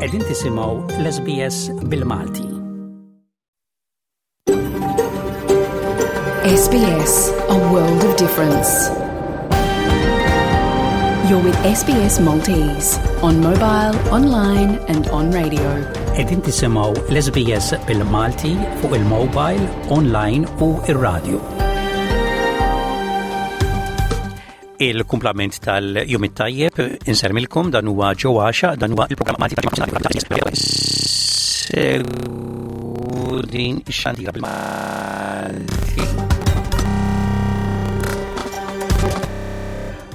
Qegħdin tisimgħu l-SBS bil-Malti. SBS, a world of difference. You're with SBS Maltese on mobile, online and on radio. Qegħdin tisimgħu l-SBS bil-Malti fuq il-mobile, online u ir-radio. Il-kumplament tal-jum it-tajjeb insermilkom dan huwa ġo għaxa dan huwa il-programm Malti din ix-xandira bil-Malti.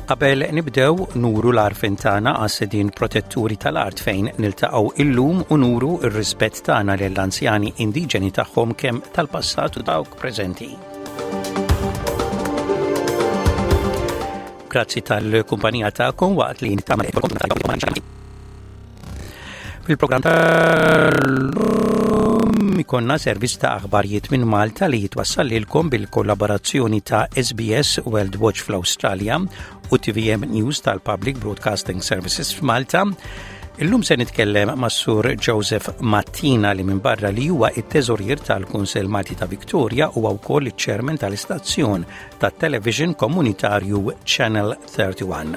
Qabel nibdew nuru l-għarfien tagħna għas-sidien protetturi tal-art fejn niltaqgħu illum u nuru r-rispett tagħna lill-anzjani indiġeni tagħhom kemm tal-passat u dawk preżenti. Grazzi tal-kumpanija tagħkom waqt li nittama Fil-programm tal-lum ikonna servizz ta' aħbarijiet minn Malta li jitwassal lilkom bil-kollaborazzjoni ta' SBS World Watch fl-Awstralja u TVM News tal-Public Broadcasting Services f'Malta. Illum se nitkellem mas Sur Joseph Mattina li minn barra li huwa it-teżorier tal-Kunsell Malti ta' Victoria huwa wkoll iċ-chairman tal-istazzjon tat-television komunitarju Channel 31.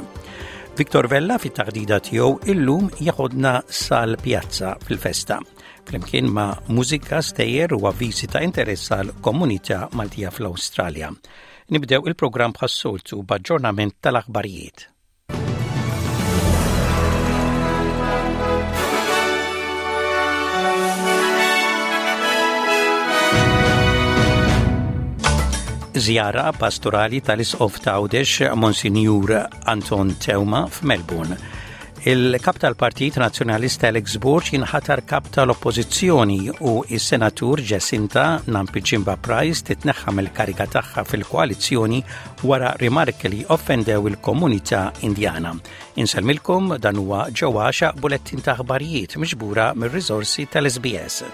Victor Vella fit-taħdida tiegħu illum jaħodna sal-pjazza fil-festa flimkien ma' mużika stejjer u avviżi ta' interess għal komunità Maltija fl-Awstralja. Nibdew il-programm bħas-soltu b'aġġornament tal-aħbarijiet. Żjara pastorali tal-Isqof ta' Għawdex Monsinjur Anton Teuma f'Melbourne. Il-kap tal-Partit Nazzjonalista Alex Borg jinħatar kap tal-Oppożizzjoni u s-Senatur Jacinta Nampijinpa Price titneħħa mill-kariga tagħha fil-koalizzjoni wara rimarki li offendew il-komunità Indjana. Insellmilkom dan huwa ġewwa għaxaq bulettin ta' aħbarijiet miġbura mir-riżorsi tal-SBS.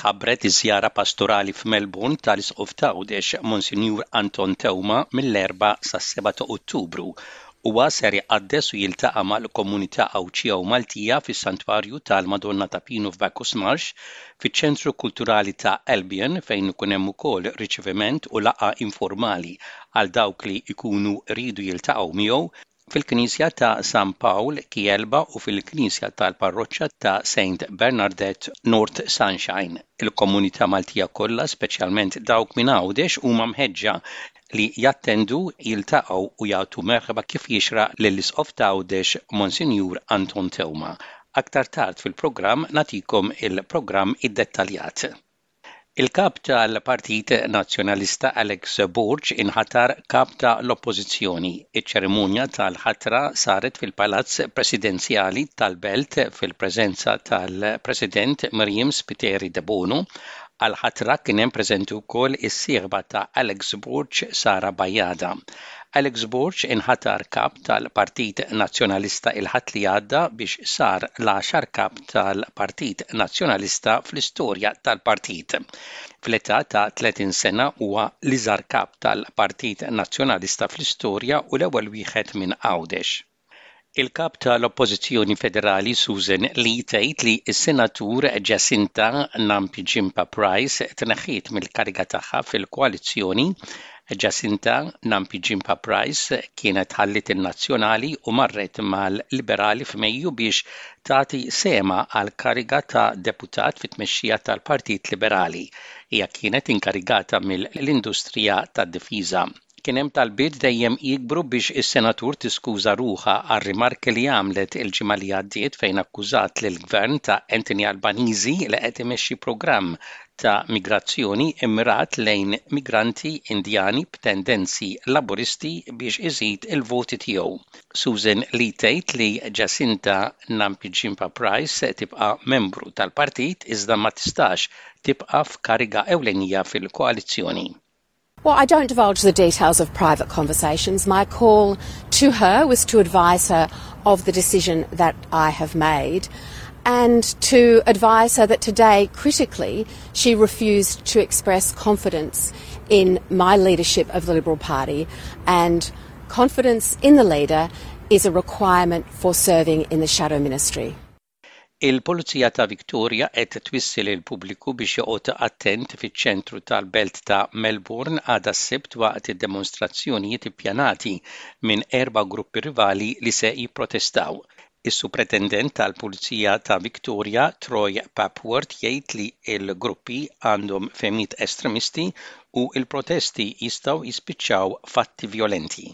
Tħabbret iż-żjara pastorali f'Melbourne tal-Isqof t'Għawdex, Monsinjur Anton Teuma mill-Erbgħa sas-Seba' ta' Ottubru. Huwa ser iqaddes u jiltaqa' mal-komunità Għawdxija u Maltija fis-Santwarju tal-Madonna ta' Pinu f'Bacchus Marsh, fiċ-Ċentru Kulturali ta' Albion fejn ikun hemm ukoll riċeviment u laqgħa informali għal dawk li jkunu jridu jiltaqgħu miegħu, fil-Knisja ta' San Pawl, Kielba u fil-Knisja tal-Parroċċa ta' Saint Bernardette, North Sunshine. Il-komunità Maltija kollha, speċjalment dawk minn Għawdex, huma mħeġġa li jattendu, jiltaqgħu u jagħtu merħba kif jixraq lill-Isqof t'Għawdex, Monsinjur Anton Teuma. Aktar tard fil-programm nagħtikom il-programm iddettaljat. Il-Kap tal-Partit Nazzjonalista Alex Borg inħatar Kap ta' l-Oppożizzjoni. Iċ-ċerimonja tal-ħatra saret fil-Palazz Presidenzjali tal-Belt fil-preżenza tal-President Myriam Spiteri Debono. Għall-ħatra kien hemm preżenti wkoll is-sieħba ta' Alex Borg Sara Bajada. Alex Borg inħatar Kap tal-Partit Nazzjonalista il-Ħadd li għadda biex sar l-għaxar Kap tal-Partit Nazzjonalista fl-istorja tal-partit. Fl-età ta' 30 sena huwa l-iżgħar Kap tal-Partit Nazzjonalista fl-istorja u l-ewwel wieħed minn Għawdex. Il-Kap tal-Oppożizzjoni Federali Susan Lee tgħid li s-Senatur Jacinta Nampijinpa Price tneħħiet mill-kariga tagħha fil-koalizzjoni. Jacinta Nampijinpa Price kienet ħalliet in-Nazzjonali u marret mal-Liberali f'Mejju biex tagħti sehemha għall-kariga ta' deputat fit-tmexxija tal-Partit Liberali. Hija kienet inkarigata mill-industrija tad-difiża. Kien hemm talbiet dejjem jikbru biex is-senatur tiskuża ruħha għar-rimarki li għamlet il-ġimgħa li għaddiet fejn akkużat lill-Gvern ta' Anthony Albanese li qed imexxi programm ta' migrazzjoni mmirat lejn migranti Indjani b'tendenzi Laburisti biex iżid il-voti tiegħu. Susan Lee tgħid li Jacinta Nampijinpa Price tibqa' membru tal-partit iżda ma tistax tibqa' f'kariga ewlenija fil-koalizzjoni. Well, I don't divulge the details of private conversations. My call to her was to advise her of the decision that I have made and to advise her that today, critically, she refused to express confidence. in my leadership of the Liberal Party and confidence in the leader is a requirement for serving in the shadow ministry. Il-Pulizija ta' Victoria qed twissi lill-pubbliku biex joqgħod attent fiċ-ċentru tal-belt ta' Melbourne għada s-Sibt waqt id-demonstrazzjonijiet ippjanati minn erba' gruppi rivali li se jipprotestaw. Is-Supretendent tal-Pulizija ta' Victoria, Troy Papworth jgħid li l-gruppi għandhom fehmiet estremisti u l-protesti jistgħu jispiċċaw f'atti vjolenti.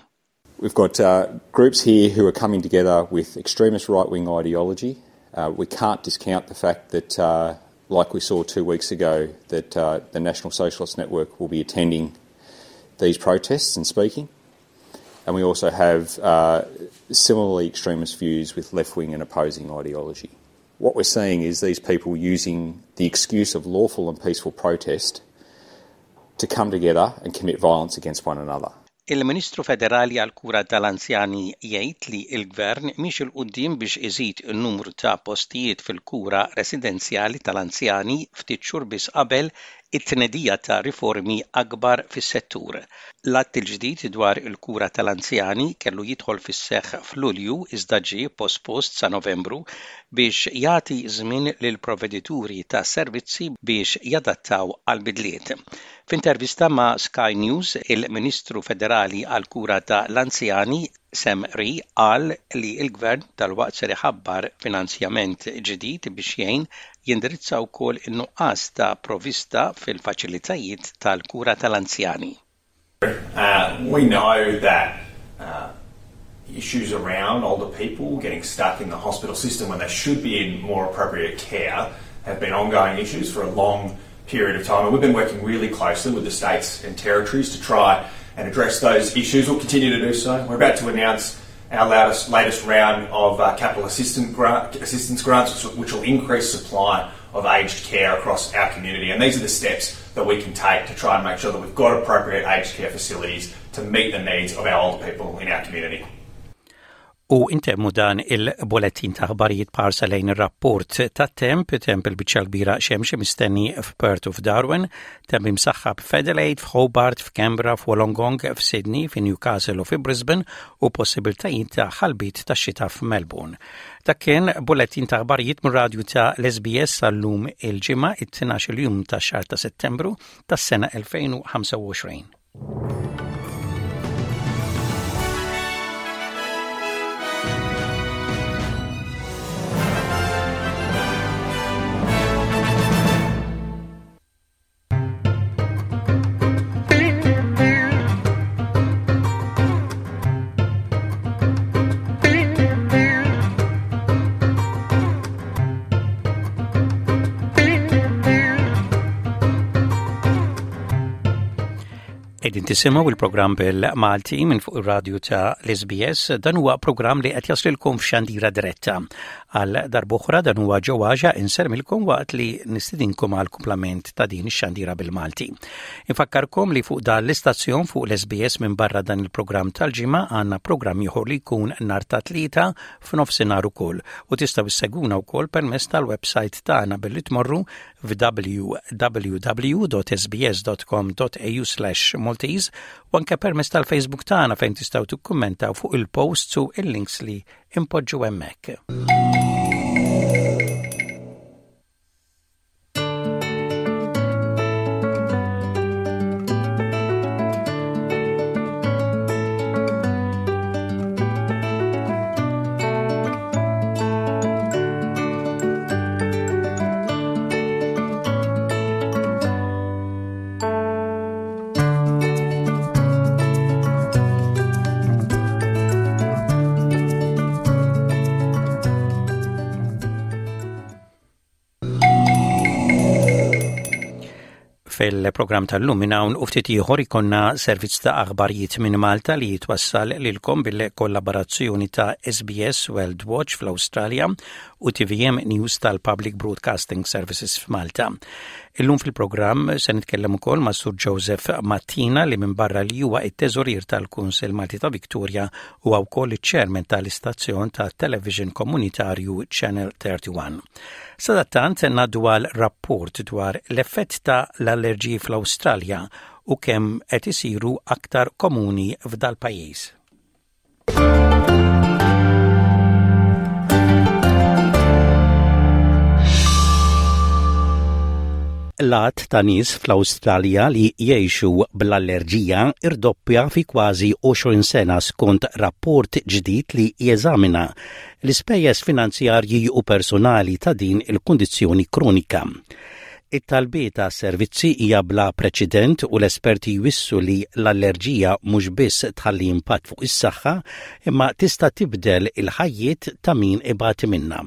We've got uh, groups here who are coming together with extremist right-wing ideology. Uh, we can't discount the fact that, uh, like we saw two weeks ago, that uh, the National Socialist Network will be attending these protests and speaking. And we also have uh, similarly extremist views with left wing and opposing ideology. What we're seeing is these people using the excuse of lawful and peaceful protest to come together and commit violence against one another. Il-Ministru Federali għall-Kura tal-Anzjani jgħid li l-Gvern miexi 'l quddiem biex iżid in-numru ta' postijiet fil-kura residenzjali tal-anzjani ftit xhur biss qabel it-tnedija ta' riformi akbar fis-settur. L-Att il-ġdid dwar il-Kura tal-Anzjani kellu jidħol fis-seħħ f'Lulju iżda ġie pospost sa Novembru biex jagħti żmien lill-provvedituri ta' servizzi biex jadattaw għall-bidliet. F'intervista ma' Sky News, il-Ministru Federali għall-Kura ta' l-Anzjani, Sam Rhee qal li l-Gvern dalwaqt ser iħabbar finanzjament ġdid biex jgħin jindirizza wkoll in-nuqqas ta' provvista fil-faċilitajiet tal-kura tal-anzjani. Uh, we know that uh, issues around older people getting stuck in the hospital system when they should be in more appropriate care have been ongoing issues for a long period of time. And we've been working really closely with the states and territories to try and address those issues. We'll continue to do so. We're about to announce our latest, latest round of uh, capital assistance, grant, assistance grants, which will increase supply of aged care across our community. And these are the steps that we can take to try and make sure that we've got appropriate aged care facilities to meet the needs of our older people in our community. U intemmu dan il-bulettin ta' aħbarijiet b'ħarsa lejn ir-rapport tat-temp, temp il-biċċa l-kbira xemx mistenni f'Perth u f'Darwin, temp imsaħħab f'Adelaide, f'Hobart, f'Canberra, f'Wollongong, f'Sydney, f'Newcastle u fi Brisbane u possibiltajiet ta' ħalbiet ta' xita f'Melbourne. Dak kien bulettin ta' aħbarijiet mir-radju ta' l-SBS għal-lum il-Ġimgħa it-12 jum tax-xahar ta' Settembru tas-sena 2025. Qegħdin tisimgħu il-programm bil-Malti minn fuq ir-radju ta' l-SBS. Dan huwa programm li qed jaslilkom f'xandira diretta. Għal darb'oħra dan huwa ġewwaġa insermilkom waqt li nistidinkom għal kumplament ta' din ix-xandira bil-Malti. Infakkarkom li fuq dan l-istazzjon fuq l-SBS minn barra dan il-programm tal-ġimgħa għandna programm ieħor li jkun nhar ta' tlieta f'nofsinhar ukoll u tistgħu issegwuna wkoll permezz tal-website tagħna billi tmorru f'www.sbs.com.au/maltese u anke permezz tal-Facebook tagħna fejn tistgħu tikkummentaw fuq il-posts u il-links li impoġġu hemmhekk. Fil-programm tal-lum minn hawn u ftit ieħor ikonna servizz ta' aħbarijiet minn Malta li jitwassal lilkom bil-kollaborazzjoni ta' SBS World Watch fl-Awstralja u TVM News tal-Public Broadcasting Services f'Malta. Illum fil-programm se nitkellem ukoll ma' Sur Joseph Mattina li minn barra li huwa it-teżorier tal-Kunsill Malti ta' Victoria huwa wkoll iċ-chairman tal-istazzjon ta' television komunitarju Channel 31. Sadattant ngħaddu għal rapport dwar l-effett ta' l-allerġiji fl-Awstralja u kemm qed isiru aktar komuni f'dal-pajjiż. L-għadd ta' nies fl-Awstralja li jgħixu bl-allerġija irdoppja fi kważi 20 sena skont rapport ġdid li jeżamina l-ispejjeż finanzjarji u personali ta' din il-kundizzjoni kronika. It-talbiet għas-servizzi hija bla preċedent u l-esperti jwissu li l-allerġija mhux biss tħalli impatt fuq is-saħħa imma tista' tibdel il-ħajjiet ta' min ibati minnha.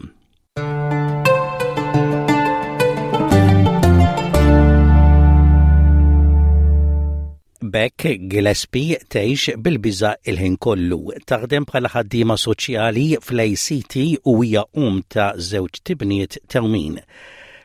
B'hekk Gillespie tgħix bil-biża' il-ħin kollu. Taħdem bħala ħaddiema soċjali fl-ACT u hija omm ta' żewġ tibniet tewmin.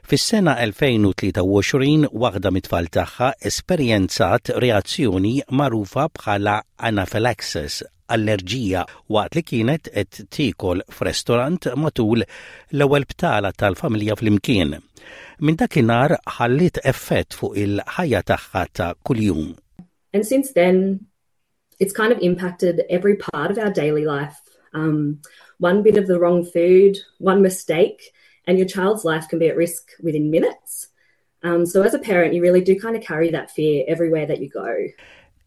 Fis-sena 2023 waħda mit-tfal tagħha esperjenzat reazzjoni magħrufa bħala anaphylaxis, allerġija waqt li kienet qed tiekol f'restorant matul l-ewwel btala tal-familja flimkien. Minn dakinhar ħalliet effett fuq il-ħajja tagħha ta' kuljum. And since then, it's kind of impacted every part of our daily life. Um, one bit of the wrong food, one mistake, and your child's life can be at risk within minutes. Um, so as a parent, you really do kind of carry that fear everywhere that you go.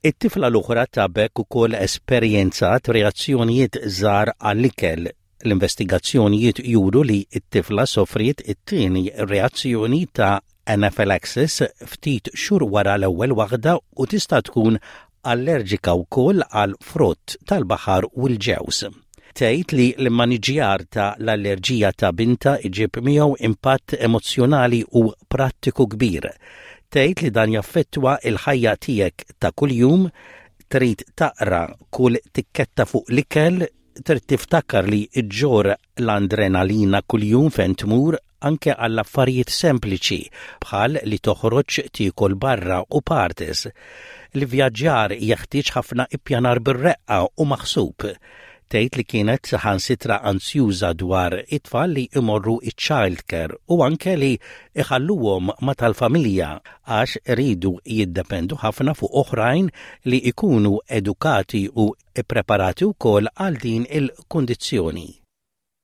It-tifla l-oħra ta' Beck ukoll esperjenzat reazzjonijiet żgħar għall-ikel. L-investigazzjonijiet juru li t-tifla sofriet it-tieni reazzjoni ta' anaphylaxis ftit xhur wara l-ewwel waħda u tista' tkun allerġika wkoll għal frott tal-baħar u l-ġewż. Tgħid li l-immaniġġjar ta' l-allerġija ta' bintha iġib miegħu impatt emozzjonali u prattiku kbir. Tgħid li dan jaffettwa l-ħajja tiegħek ta' kuljum, trid taqra kull tikketta fuq l-ikel, trid tiftakar li ġġorr l-andrenalina kuljum fejn tmur, anke għal affarijiet sempliċi bħal li toħroġ tiekol barra u parties. L-ivvjaġġar jeħtieġ ħafna ippjanar bir-reqqa u maħsub. Tgħid li kienet saħansitra anzjuża dwar it-tfal li jmorru iċ-childcare u anke li jħalluhom ma' tal-familja għax iridu jiddependu ħafna fuq oħrajn li jkunu edukati u ppreparati wkoll għal din il-kundizzjoni.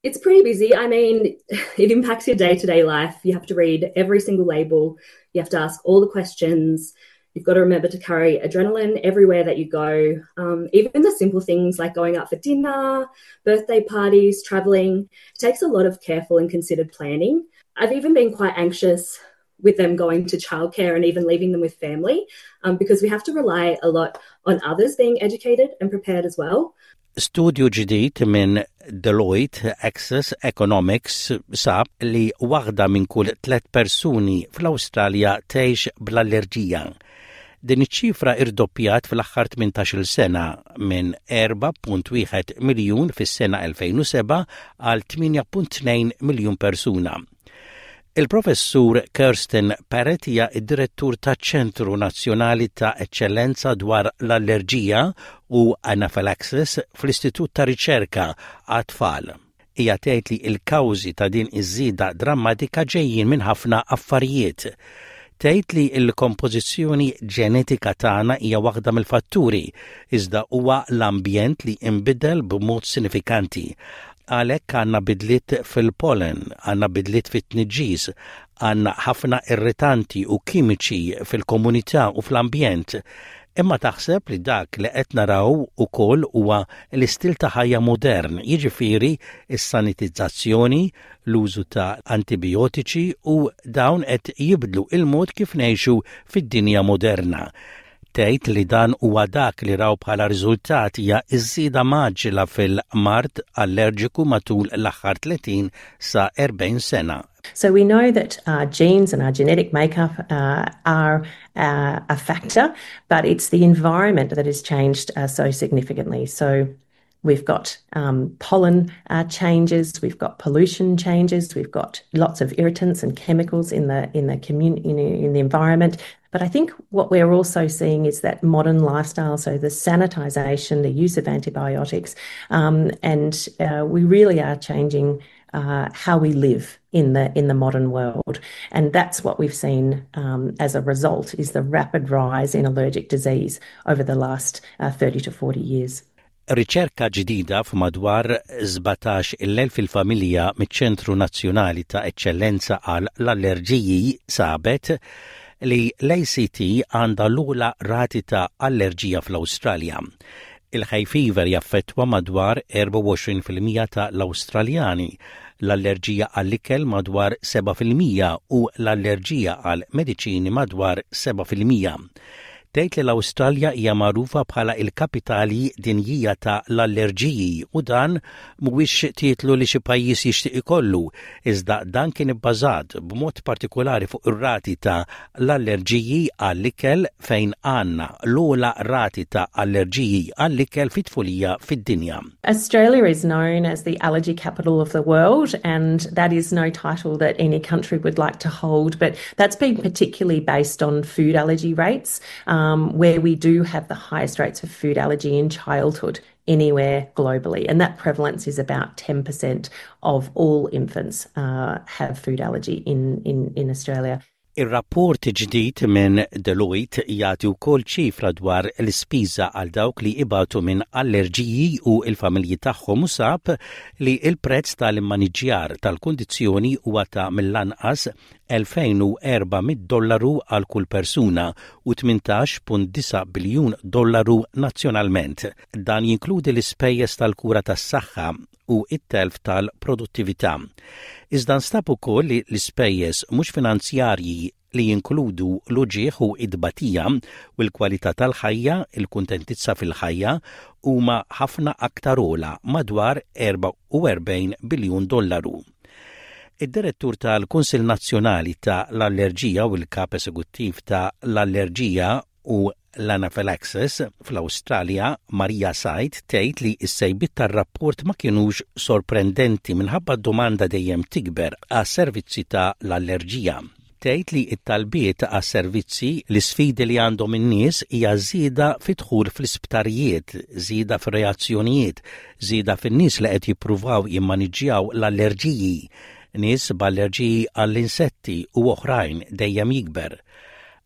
It's pretty busy. I mean, it impacts your day to day life. You have to read every single label, you have to ask all the questions. You've got to remember to carry adrenaline everywhere that you go. Um, even the simple things like going out for dinner, birthday parties, traveling, it takes a lot of careful and considered planning. I've even been quite anxious with them going to childcare and even leaving them with family um, because we have to rely a lot on others being educated and prepared as well. Studju ġdid minn Deloitte Access Economics sab li waħda minn kull tlet persuni fl-Awstralja tgħix bl-allerġija. Din iċ-ċifra irdoppjat fl-aħħar 18-il sena minn 4.1 miljun fis-sena 2007 għal 8.2 miljun persuna. Il-Professur Kirsten Parrett hija d-Direttur taċ-Ċentru Nazzjonali ta' Eċċellenza dwar l-Allerġija u Anaphylaxis fl-Istitut ta' Riċerka għat-Tfal. Hija tgħid li l-kawżi ta' din iż-żieda drammatika ġejjin minn ħafna affarijiet. Tgħid li l-kompożizzjoni ġenetika tagħna hija waħda mill-fatturi, iżda huwa l-ambjent li nbidel b'mod sinifikanti. Għalhekk għandna bidliet fil-pollen, għandna bidliet fit-tniġġis, għandna ħafna irritanti u kimiċi fil-komunità u fl-ambjent. Imma taħseb li dak li qed naraw ukoll huwa l-istil ta' ħajja modern, jiġifieri s-sanitizzazzjoni, l-użu ta' antibijotiċi u dawn qed jibdlu il-mod kif ngħixu fid-dinja moderna. Tgħid li dan huwa dak li raw bħala riżultat hija ż-żieda mgħaġġla fil-mard allerġiku matul l-aħħar 30 sa 40 sena. So we know that our genes and our genetic makeup uh, are uh, a factor, but it's the environment that has changed uh, so significantly. So We've got um, pollen uh, changes, we've got pollution changes, we've got lots of irritants and chemicals in the in the community in the environment. But I think what we're also seeing is that modern lifestyle, so the sanitization, the use of antibiotics, um, and uh, we really are changing. uh, how we live in the in the modern world. And that's what we've seen um, as a result is the rapid rise in allergic disease over the last uh, 30 to 40 years. Riċerka ġdida f'madwar 17,000 il-familja miċ-Ċentru Nazzjonali ta' Eċċellenza għal l-Allerġiji sabet li l-ACT għandha l-ogħla rati ta' allerġija fl-Awstralja. Il-hay fever jaffettwa madwar 24% ta' l-Awstraljani, l-allerġija għall-ikel madwar 7% u l-allerġija għal mediċini madwar 7%. Tgħid li l-Awstralja hija magħrufa bħala il-kapitali dinjija ta' l-allerġiji u dan mhuwiex titlu li xi pajjiż jixtieq ikollu, iżda dan kien ibbażat b'mod partikolari fuq ir-rati ta' l-allerġiji għall-ikel fejn għandna l-ogħla rati ta' allerġiji għall-ikel fit-tfulija fid-dinja. Australia is known as the allergy capital of the world and that is no title that any country would like to hold, but that's been particularly based on food allergy rates um, where we do have the highest rates of food allergy in childhood anywhere globally. And that prevalence is about 10% of all infants uh, have food allergy in, in, in Australia. Ir-rapport ġdid minn Deloitte jagħti wkoll ċifra dwar l-ispiża għal dawk li ibatu minn allerġiji u l-familji tagħhom u sab li l-prezz tal-immaniġjar tal-kundizzjoni huwa ta' mill-anqas 2400 dollaru għal kull persuna u 18.9 biljun dollaru nazzjonalment. Dan jinkludi l-ispejjeż tal-kura tas-saħħa u it-telf tal-produttività. Iżda nstab ukoll li l-ispejjeż mhux finanzjarji li jinkludu l-uġigħ u id-batija u l-kwalità tal-ħajja, il-kuntentizza fil-ħajja huma ħafna aktar ogħla madwar 44 biljun dollaru. Id-direttur tal-Kunsill Nazzjonali ta' l-Allerġija u l-Kap Esekuttiv ta' l-Allerġija u l-Anaphylaxis fl-Awstralja, Maria Said, tgħid li s-sejbiet tar-rapport ma kinux sorprendenti minħabba domanda dejjem tikber għas servizzi ta' l-allerġija. Tgħid li t-talbiet għas-servizzi l-isfidi li għandhom in-nies hija żieda fid-dħul fl-isptarijiet, żieda fir-reazzjonijiet, żieda fin-nies li qed jippruvaw jimmaniġġjaw l-allerġiji, nies b'allerġiji għall-insetti u oħrajn dejjem jikber.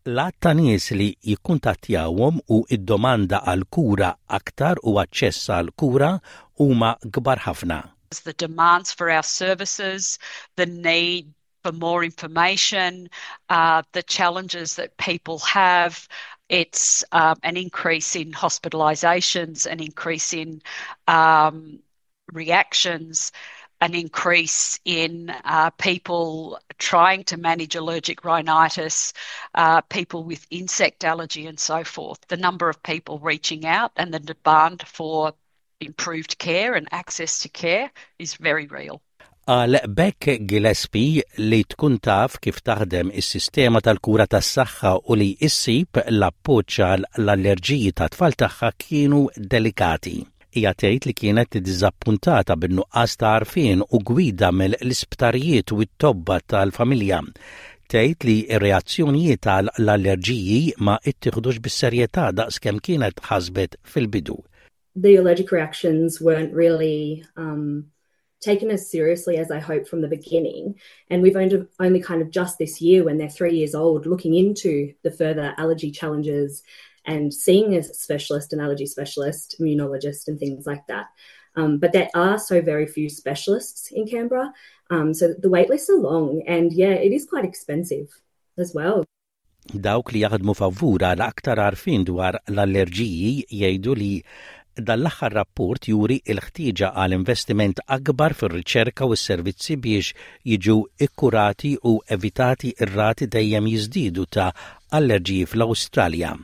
L-għadd ta' nies li jikkuntattjawhom u id-domanda għal kura aktar u aċċess għal kura huma kbar ħafna. The demands for our services, the need for more information, uh, the challenges that people have. It's um, an increase in hospitalisations, an increase in um, reactions, an increase in uh, people trying to manage allergic rhinitis, uh, people with insect allergy, and so forth. The number of people reaching out and the demand for improved care and access to care is very real. Għal Beck Gillespie li tkun taf kif taħdem is-sistema tal-kura tas-saħħa u li issib l-appoġġ għal l-allerġiji ta' tfal tagħha kienu delikati. Hija tgħid li kienet iddiżappuntata bin-nuqqas ta' għarfien u gwida mill-isptarijiet u t-tobba tal-familja. Tgħid li r-reazzjonijiet għal l-allerġiji ma ittieħdux bis-serjetà daqskemm kienet ħasbet fil-bidu. The allergic reactions weren't really um, taken as seriously as I hoped from the beginning. And we've only, only kind of just this year, when they're 3 years old, looking into the further allergy challenges and seeing a specialist, an allergy specialist, immunologist, and things like that. Um, but there are so very few specialists in Canberra. Um, so the wait lists are long and yeah, it is quite expensive as well. Dawk li jaħdmu favur għal aktar għarfien dwar l-allerġiji jgħidu li dan l-aħħar rapport juri l-ħtieġa għal investiment akbar fir-riċerka u s-servizzi biex jiġu ikkurati u evitati ir-rati dejjem jiżdiedu ta' allerġiji fl-Awstralja.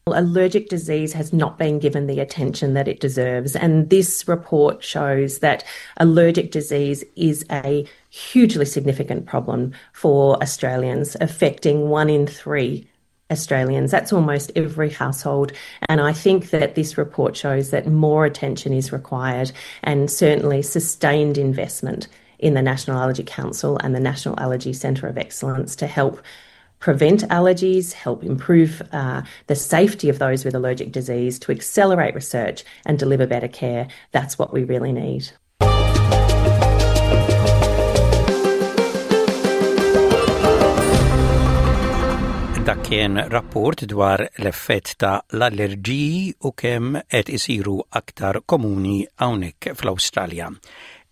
Allergic disease has not been given the attention that it deserves, and this report shows that allergic disease is a hugely significant problem for Australians, affecting one in three Australians. That's almost every household. And I think that this report shows that more attention is required and certainly sustained investment in the National Allergy Council and the National Allergy Centre of Excellence to help prevent allergies, help improve uh, the safety of those with allergic disease, to accelerate research and deliver better care. That's what we really need. Dak kien rapport dwar l-effett ta' l-allerġiji u kemm qed isiru aktar komuni hawnhekk fl-Awstralja.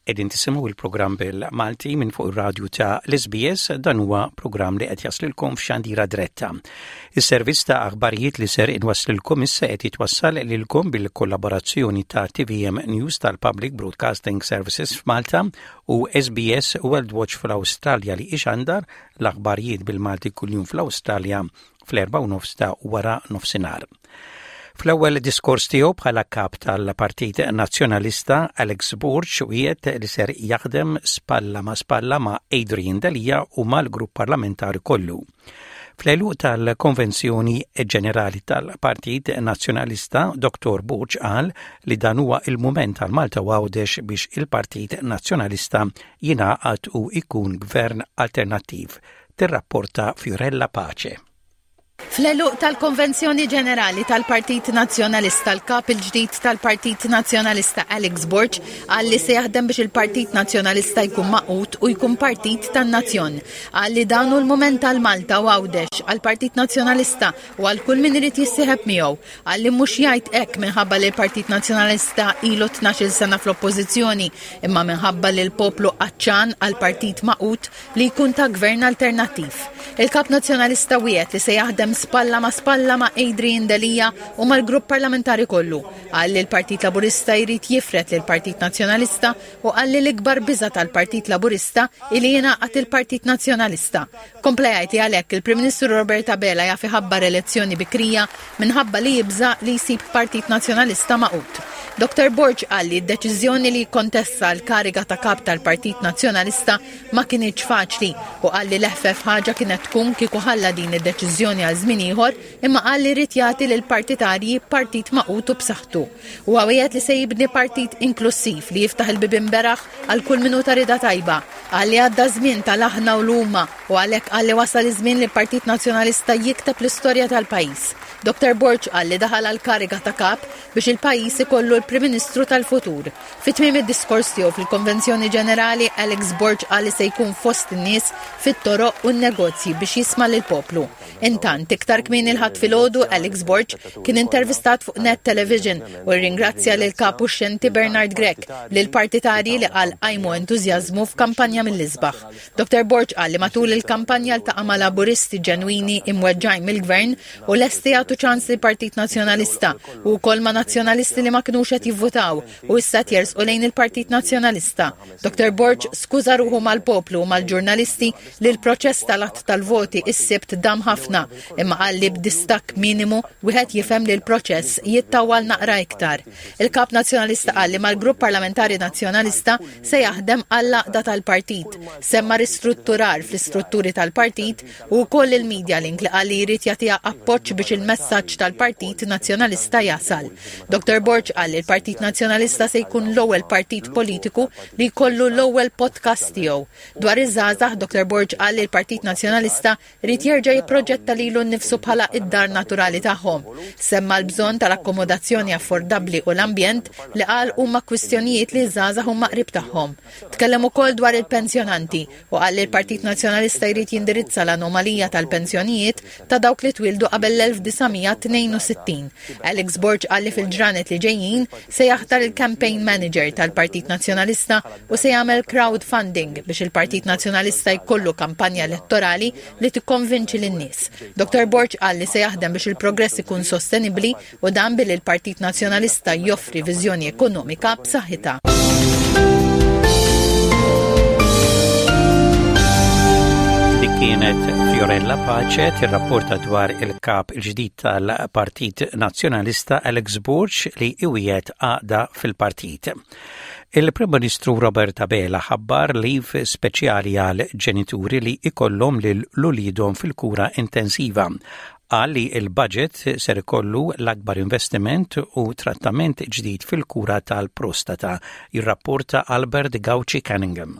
Qegħdin tisimgħu il-programm bil-Malti minn fuq ir-radju ta' l-SBS dan huwa programm li qed jaslilkom f'xandira dretta. Is-servizz ta' aħbarijiet li ser inwasslilkom issa qed jitwassal lilkom bil-kollaborazzjoni ta' TVM News tal-Public Broadcasting Services f'Malta u SBS World Watch fl-Awstralja li ixandar l-aħbarijiet bil-Malti kuljum fl-Awstralja fl-erba' u nofs ta' wara nofsinhar. Fl-ewwel diskors tiegħu bħala kap tal-Partit Nazzjonalista, Alex Borg wiegħed li ser jaħdem spalla ma' spalla ma' Adrian Delia u mal-grupp parlamentari kollu. Fl-għeluq tal-Konvenzjoni Ġenerali tal-Partit Nazzjonalista, Dr. Borg qal li dan huwa il-mument għal Malta u Għawdex biex il-Partit Nazzjonalista jingħaqad u jkun gvern alternattiv, tirrapporta Fiorella Pace. Fl-għeluq tal-Konvenzjoni Ġenerali tal-Partit Nazzjonalista, l-Kap il-ġdid tal-Partit Nazzjonalista Alex Borg qal li se jaħdem biex il-Partit Nazzjonalista jkun magħqud u jkun partit tan-nazzjon. Qal li dan hu l-mument għal Malta u Għawdex, għall-Partit Nazzjonalista u għal kull min irid jissieħeb miegħu. Qal li mhux jgħid hekk minħabba li l-Partit Nazzjonalista ilu 12-il sena fl-Oppożizzjoni, imma minħabba li l-poplu għatxan għal partit magħqud li jkun ta' gvern alternattiv. Il-Kap Nazzjonalista wiegħed li se jaħdem spalla ma' spalla ma' Adrian Delia u mal-grupp parlamentari kollu. Qal li l-Partit Laburista jrid jifred lill-Partit Nazzjonalista u qal li l-ikbar biża' tal-Partit Laburista hi li jingħaqad il-Partit Nazzjonalista. Kompla jgħid li għalhekk il-Prim Ministru Robert Abela jaf iħabbar elezzjoni bikrija minħabba li jibża' li jsib Partit Nazzjonalista magħqud. Dottor Borg qal li d-deċiżjoni li jikkontesta l-kariga ta' Kap tal-Partit Nazzjonalista ma kinitx faċli u qal li l-eħfef ħaġa kienet tkun kieku ħalla din id-deċiżjoni għal żmien ieħor imma qal li ried jagħti lill-partitarji partit magħqud u b'saħħtu. Huwa wiegħed li se jibni partit inklussiv li jiftaħ il-bibien beraħ għal kull min hu ta' rieda tajba. Qal li għadda ż-żmien tal-aħna u l-huma u għalhekk qal li wasal iż-żmien li l-Partit Nazzjonalista jikteb l-istorja tal-pajjiż. Dottor Borg qal li daħal għall-kariga ta' Kap biex il-pajjiż ikollu l-Prim Ministru tal-futur. Fi tmiem id-diskors tiegħu fil-Konvenzjoni Ġenerali, Alex Borg qal li se jkun fost in-nies fit-toroq u n-negozji biex jisma' lill-poplu. Intant, iktar kmieni l-Ħadd filgħodu, Alex Borg kien intervistat fuq Net Television u rringrazzja lill-Kap uxxenti Bernard Grech, lill-partitarji li qal qajmu entużjażmu f'kampanja mill-isbaħ. Dottor Borg qal li matul il-kampanja ltaqa' ma' Laburisti ġenwini imweġġgħin mill-Gvern u lesti jagħtu ċans lill-Partit Nazzjonalista u wkoll ma' Nazzjonalisti li ma kinux qed jivvutaw u issa qed jersqu lejn il-Partit Nazzjonalista. Dottor Borg skuża ruħu mal-poplu u mal-ġurnalisti li l-proċess tal-għadd tal-voti s-Sibt dam ħafna imma qal li b'distakk minimu wieħed jifhem li l-proċess jittawwal naqra iktar. Il-Kap Nazzjonalista qal li mal-Grupp Parlamentari Nazzjonalista se jaħdem għall-għaqda tal-partit. Semma ristrutturar fl-istrutturi tal-partit u wkoll il-Media Link li qal li jrid jagħtiha appoġġ biex il-messaġġ tal-Partit Nazzjonalista jasal. Dr Borg qal li l-Partit Nazzjonalista se jkun l-ewwel partit politiku li jkollu l-ewwel podcast tiegħu. Dwar iż-żgħażagħ, Dr Borg qal li l-Partit Nazzjonalista Ried jerġa' jipproġetta lilu nnifsu bħala id-dar naturali tagħhom. Semma l-bżonn tal-akkomodazzjoni affordabbli u l-ambjent li qal huma kwistjonijiet li ż-żgħażagħ huma qrib tagħhom. Tkellem ukoll dwar il-pensjonanti u qal li l-Partit Nazzjonalista jrid jindirizza l-anomalija tal-pensjonijiet ta' dawk li twieldu qabel l-1962. Alex Borg qal li fil-ġranet li ġejjin se jaħtar il-campaign manager tal-Partit Nazzjonalista u se jagħmel crowdfunding biex il-Partit Nazzjonalista jkollu kampanja elettorali li tikkonvinċi lin-nies. Dr. Borg qal li se jaħdem biex il-progress ikun sostenibbli u dan billi l-Partit Nazzjonalista joffri viżjoni ekonomika b'saħħitha. Dik kienet Fiorella Pace tirrapporta dwar il-kap il-ġdid tal-Partit Nazzjonalista Alex Borg li iwiegħed għaqda fil-partit. Il-Prim Ministru Robert Abela ħabbar leave speċjali għal ġenituri li ikollhom lil uliedhom fil-kura intensiva. Qal li l-budget ser ikollu l-akbar investiment u trattament ġdid fil-kura tal-prostata, jirrapporta Albert Gauci Cunningham.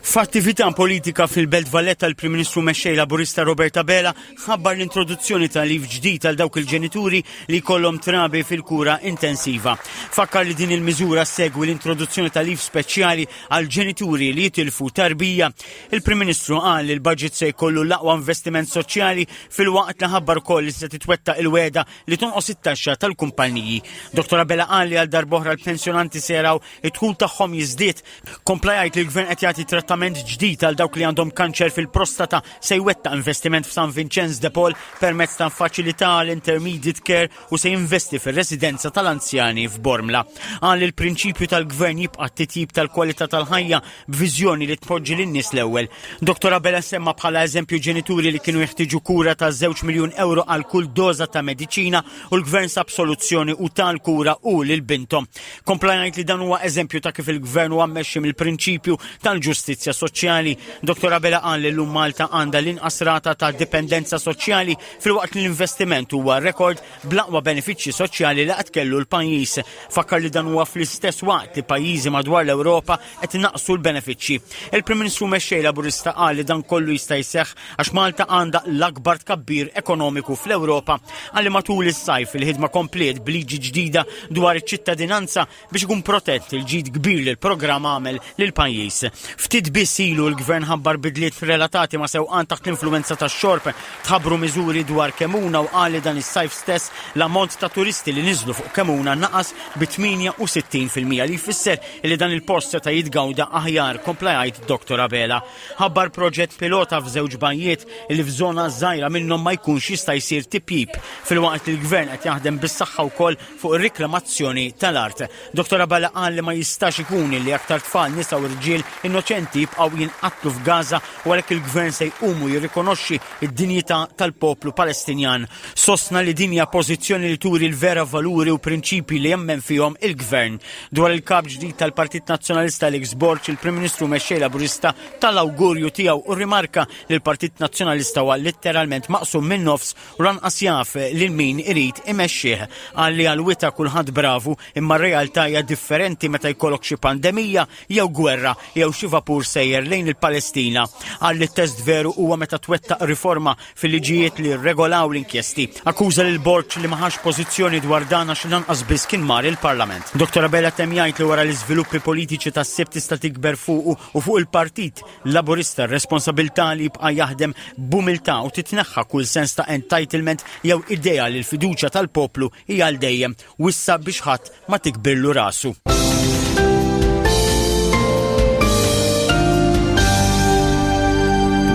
F'attività politika fil-Belt Valletta l-Prim Ministru Mexxej Laburista Robert Abela ħabbar l-introduzzjoni ta' leave ġdid għal dawk il-ġenituri li jkollhom trabi fil-kura intensiva. Fakkar li din il-miżura ssegwi l-introduzzjoni ta' leave speċjali għal ġenituri li jitilfu tarbija. Il-Prim Ministru qal li l-budget se jkollu l-aqwa investiment soċjali filwaqt li ħabbar ukoll li se titwettaq il-wegħda li tonqos it-taxxa tal-kumpaniji. Dottor Abela qal li għal darb'oħra l-pensjonanti se jaraw id-dħul tagħhom jiżdied. Kompla jgħid li l-gvern qed jagħti trattament ġdid għal dawk li għandhom kanċer fil-prostata se jwettaq investiment f'San Vincenz de Paul permezz ta' faċilità għal intermediate care u se jinvesti fir-residenza tal-anzjani f'Bormla. Qal li l-prinċipju tal-gvern jibqa' t-titjib tal-kwalità tal-ħajja b'viżjoni li tpoġġi lin-nies l-ewwel. Dottor Abela semma bħala eżempju ġenituri li kienu jeħtieġu kura ta' żewġ miljun euro għal kull doża ta' mediċina u l-gvern sab soluzzjoni u ta l-kura hu lil binthom. Kompla jgħid li dan huwa eżempju ta' kif il-gvern huwa mmexxi mill-prinċipju tal-ġustizzja soċjali. Dottor Abela qal li llum Malta għandha l-inqas rata ta' dipendenza soċjali filwaqt li l-investiment huwa rekord bl-aqwa benefiċċji soċjali li qatt kellu l-pajjiż. Fakkar li dan huwa fl-istess waqt li pajjiżi madwar l-Ewropa qed inaqqsu l-benefiċċji. Il-Prim Ministru Mexxej Laburista qal li dan kollu jista' jseħħ għax Malta għandha l-akbar tkabbir ekonomiku fl-Ewropa. Qal li matul is-sajf il-ħidma kompliet b'liġi ġdida dwar iċ-ċittadinanza biex ikun protett il-ġid kbir li l-programm għamel lill-pajjiż. Ftit biss ilu l-Gvern ħabbar bidliet relatati ma' sewqan taħt l-influwenza tax-xorb. Tħabbru miżuri dwar Kemuna u qal li dan is-sajf stess l-ammont ta' turisti li niżlu fuq Kemuna naqas bi 68% li jfisser li dan il-post seta' jitgawda aħjar, kompla jgħid Dottor Abela. Ħabbar proġett pilota f'żewġ bajjiet li f'żona żgħira minnhom ma jkunx jista' jsir tipjip, filwaqt li l-Gvern qed jaħdem bis-saħħa wkoll fuq ir-riklamazzjoni tal-art. Dottor Abela qal li ma jistax ikun li aktar tfal, nisa u rġiel innoċenti jibqgħu jinqatlu f'Gaza u għalhekk il-Gvern se jqum u jirrikonoxxi d-dinjità tal-poplu Palestinjan. Sostna li din hija pożizzjoni li turi l-vera valuri u prinċipji li jemmen fihom il-Gvern. Dwar il-Kap ġdid tal-Partit Nazzjonalista Alex Borg, il-Prim Ministru Mexxej Laburista ta l-awgurju tiegħu u rrimarka li l-Partit Nazzjonalista huwa litteralment maqsum min-nofs u lanqas jaf lil min irid imexxih. Qal li għall-wita kulħadd bravu imma r-realtà hija differenti meta jkollok xi pandemija jew gwerra jew xi vapur sejjer lejn il-Palestina. Qal li t-test veru huwa meta twettaq riforma fil-liġijiet li rregolaw l-inkjesti. Akkuża lil Borg li ma ħax pożizzjoni dwar dan għax lanqas biss kien mar il-Parlament. Dottor Abela temm jgħid li wara l-iżviluppi politiċi tas-Sibt tista' tikber fuqu u fuq il-Partit Laburista r-responsabilità li jibqa' jaħdem b'umiltà u titneħħa kull sens ta' entitlement jew idea li l-fiduċja tal-poplu hija għal dejjem. Wissa biex ħadd ma tikbirlu rasu.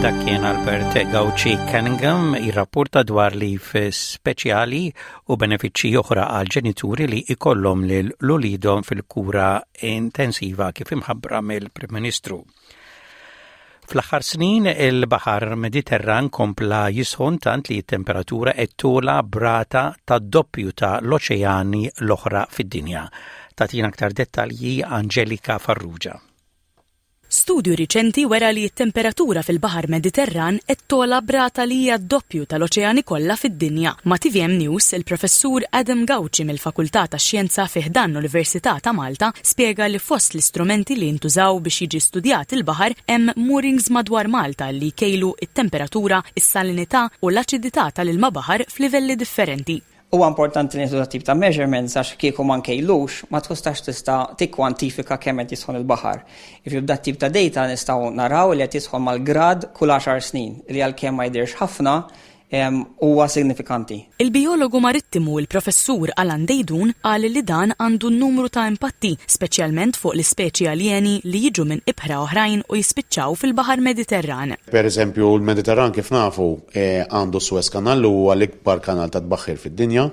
Dak kien Albert Gauci Cunningham jirrapporta dwar li speċjali u benefiċċji oħra għal ġenituri li ikollhom lil ulidhom fil-kura intensiva kif imħabbra mill-Prim Ministru. Fl-aħħar snin il-Baħar Mediterran kompla jisħon tant li t-temperatura qed togħla b'rata tad-doppju ta' l-oċeani l-oħra fid-dinja. Tagħtina aktar dettalji Angelika Farrugia. Studju riċenti wera li t-temperatura fil-Baħar Mediterran qed togħla b'rata li hija d-doppju tal-oċeani kollha fid-dinja. Ma' tvm News, il-Professur Adam Gauci mill-Fakultà tax-Xjenza fi ħdan l-Università ta' Malta spjega li fost l-istrumenti li jintużaw biex jiġi studjat il-baħar hemm moorings madwar Malta li jkejlu t-temperatura, is-salinità u l-aċidità tal-ilma baħar f'livelli differenti. Huwa importanti li nieħdu dat-tip ta' measurements għax kieku ma nkejlux ma tkustax tista' tikkwantifika kemm qed jisħon il-baħar. Jiġifieri b'dat-tip ta' data nistgħu naraw li qed jisħon mal-grad kull għaxar snin, li għalkemm ma jidhirx ħafna, huwa signifikanti. Il-bijologu marittimu il-Professur Alan Deidun qal li dan għandu numru ta' impatti, speċjalment fuq l-ispeċi aljeni li jiġu minn ibħra oħrajn u jispiċċaw fil-Baħar Mediterran. Per eżempju, l-Mediterran kif nafu għandu s-Suez Canal li huwa l-ikbar kanal ta' tbaħħir fid-dinja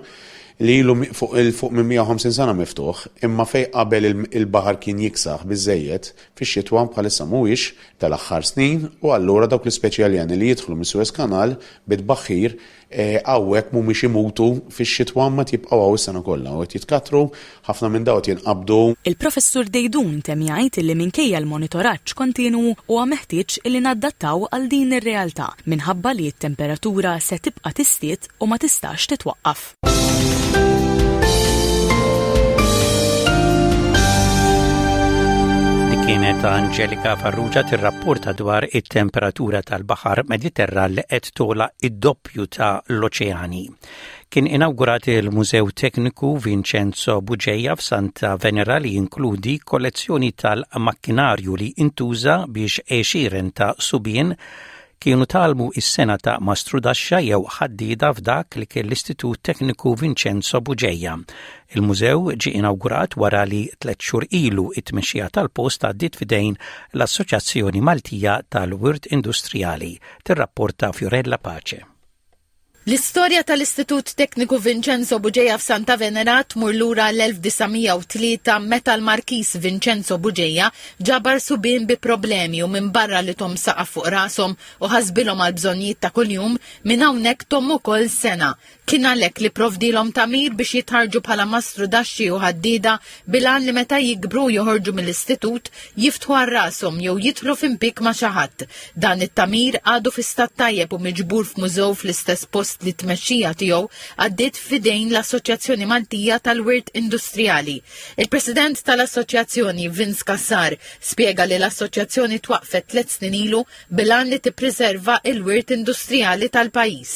li ilu fuq 'il fuq minn 150 sena miftuħ, imma fejn qabel il-baħar kien jiksaħ biżżejjed fix-xitwa bħalissa mhuwiex, tal-aħħar snin u allura dawk l-ispeċi aljeni li jidħlu mis-Suez Canal bi tbaħħir hawnhekk mhumiex imutu fix-xitwa imma qed jibqgħu hawn is-sena kollha u qed jitkattru, ħafna minn dawn qed jinqabdu. Il-Professur Deidun temm jgħid illi minkejja l-monitoraġġ kontinwu huwa meħtieġ illi nadattaw għal din ir-realtà minħabba li t-temperatura se tibqa' tiżdied u ma tistax titwaqqaf. Dik kienet kienet Angelika Farrugia tirrapporta dwar it-temperatura tal-baħar Mediterran li qed tola id-doppju ta' l-oċeani. Kien inawgurat il-Mużew Tekniku Vincenzo Bugeja f'Santa Venera li jinkludi kollezzjoni tal-makkinarju li intuża biex għexieren ta' subien kienu tgħallmu s-sengħa ta' mastrudaxxa jew ħaddieda f'dak li kien l-Istitut Tekniku Vincenzo Bugeja. Il-mużew ġie inawgurat wara li tlett xhur ilu t-tmexxija tal-post għaddiet f'idejn l-Assoċjazzjoni Maltija tal-Wirt Industrijali, tirrapporta Fiorella Pace. L-istorja tal-Istitut Tekniku Vincenzo Bugeja f'Santa Venera tmur lura l-1903 meta l-Markiż Vincenzo Bugeja ġabar subien bi problemi u minbarra li thom saqaf fuq rashom u ħasbilhom għall-bżonnijiet ta' kuljum, minn hawnhekk thom ukoll sengħa. Kien għalhekk li pprovdielhom tagħmir biex jitħarrġu bħala mastrudaxxi u ħaddieda bil-għan li meta jikbru u joħorġu mill-istitut jiftħu għal rashom jew jidħlu f'impieg ma' xi ħadd. Dan it-tagħmir għadu fi stat tajjeb u miġbur f'mużew fl-istess post li t-tmexxija tiegħu għaddiet f'idejn l-Assoċjazzjoni Maltija tal-Wirt Industrijali. Il-President tal-Assoċjazzjoni, Vince Cassar, spjega li l-assoċjazzjoni twaqqfet tliet snin ilu bil-għan li tippriserva il-wirt industrijali tal-pajjiż.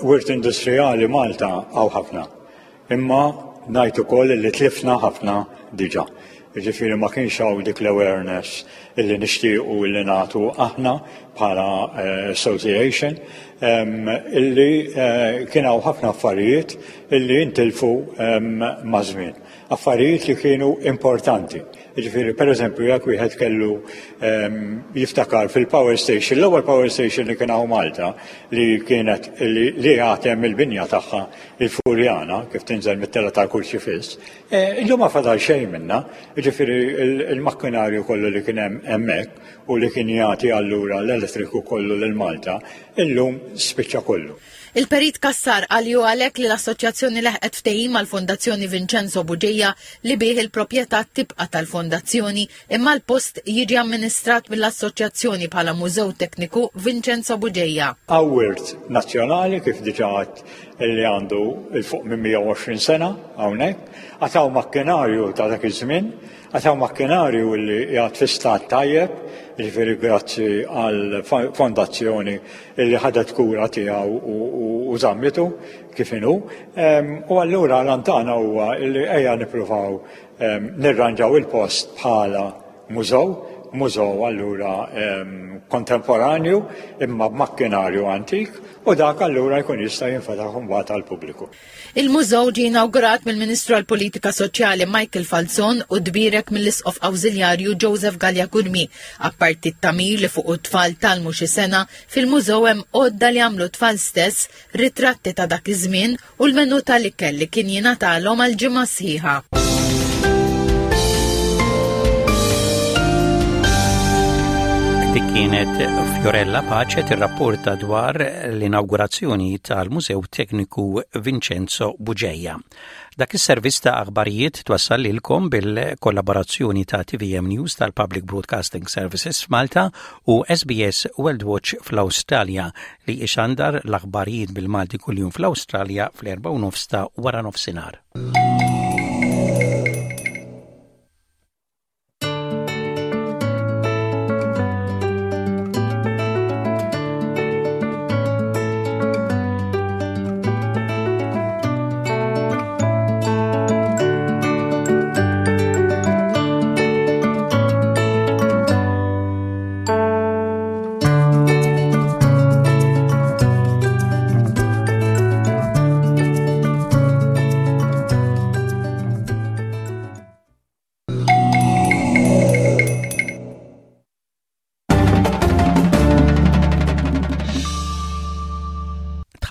Wirt industrijali Malta hawn ħafna. Imma ngħid ukoll li tlifna ħafna diġà. Jiġifieri ma kienx hawn dik l-awareness illi nixtiequ illi nagħtu aħna bħala eh, association illi eh, kien hawn ħafna affarijiet illi intilfu maż-żmien. Affarijiet li kienu importanti. Jiġifieri pereżempju jekk wieħed kellu ehm, jiftakar fil-power station, l-ewwel power station li kien hawn Malta li kienet li għatem il-binja tagħha il-Furjana kif tinżel mit-tela tal-Kurċifiss, eh, illum ma fadal xejn minnha, jiġifieri il-makkinarju kollu li kien hemm hemmhekk u li kien jagħti allura l-elettriku kollu lil Malta, illum spiċċa kollu. Il-Perit Cassar qal li hu għalhekk li l-Assoċjazzjoni leħqet ftehim mal-Fondazzjoni Vincenzo Bugeja li bih il-proprjetà tibqa' tal-Fondazzjoni imma l-post jiġi amministrat mill-Assoċjazzjoni bħala Mużew Tekniku Vincenzo Bugeja. Hawn wirt nazzjonali kif diġà għedt li għandu 'l fuq minn 120 sena hawnhekk. Għad hawn makkinarju ta' dak iż-żmien Għad hawn makkinarju li qiegħed fi stat tajjeb, jiġifieri grazzi għal fondazzjoni li ħadet kura tiegħu u żammitu kif inhu. U allura l-għan tagħna huwa li ejja nippruvaw nirranġaw il-post bħala mużew, mużew allura kontemporanju imma b'makkinarju antik u dak allura jkun jista' jinfetaħ imbagħad għall-pubbliku. Il-mużew ġie inawgurat mill-Ministru għall-Politika Soċjali Michael Falzon u tbierek mill-Isqof Awżiljarju Joseph Galea Curmi. Apparti t-tagħmir li fuqu t-tfal tgħallmu xi sena, fil-mużew hemm għodda li għamlu t-tfal stess, ritratti ta' dak iż-żmien u l-menu tal-ikel li kien jingħatalhom għal ġimgħa sħiħa. Dik kienet Fiorella Pace tirrapporta dwar l-inawgurazzjoni tal-Mużew Tekniku Vincenzo Bugeja. Dak is-servizz ta' aħbarijiet twassal lilkom bil-kollaborazzjoni ta' TVM News tal-Public Broadcasting Services f'Malta u SBS World Watch fl-Awstralja li ixandar l-aħbarijiet bil-Malti kuljum fl-Awstralja fl-4:30 ta' wara nofsinhar.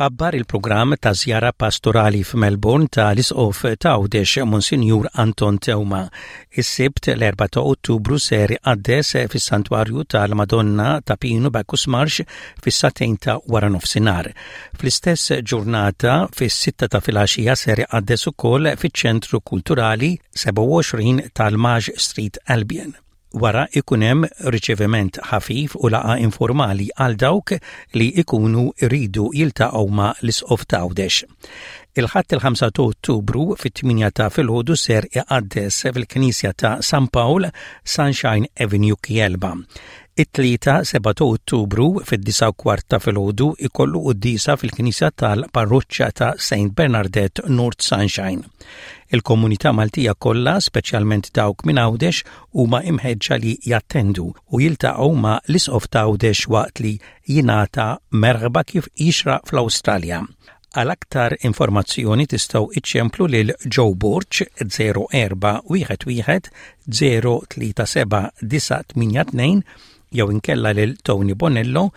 Tħabbar il-programm ta' żjara pastorali f'Melbourne ta' l-Isqof ta' Għawdex Monsinjur Anton Teuma. Is-Sibt l-4 ta' Ottubru ser iqaddes fis-Santwarju tal-Madonna ta' Pinu Bacchus Marsh fis-sagħtejn ta' waranofsinhar. Fl-istess ġurnata fis-sitta ta' filgħaxija ser iqaddes ukoll fiċ-Ċentru Kulturali 27 tal-Maj Street Albion. Wara ikun hemm riċeviment ħafif u laqgħa informali għal dawk li ikunu jridu jiltaqgħu ma' l-Isqof t'Għawdex. Il-Ħadd il-5 ta' Ottubru fit-8 ta' filgħodu ser iqaddes fil-Knisja ta' San Pawl, Sunshine Avenue Kielba. It-Tlieta 7 ta' Ottubru fid-9 u kwart ta' filgħodu ikollu quddiesa fil-Knisja tal-Parroċċa ta' St. Bernardette North Sunshine. Il-komunità Maltija kollha, speċjalment dawk minn Għawdex, huma imħeġġa li jattendu u jiltaqgħu ma' l-Isqof t'Għawdex waqt li jingħata merħba kif jixraq fl-Awstralja. Għal aktar informazzjoni tistgħu iċċemplu lil Joe Borg 0411 037 982 jew inkella lil Tony Bonello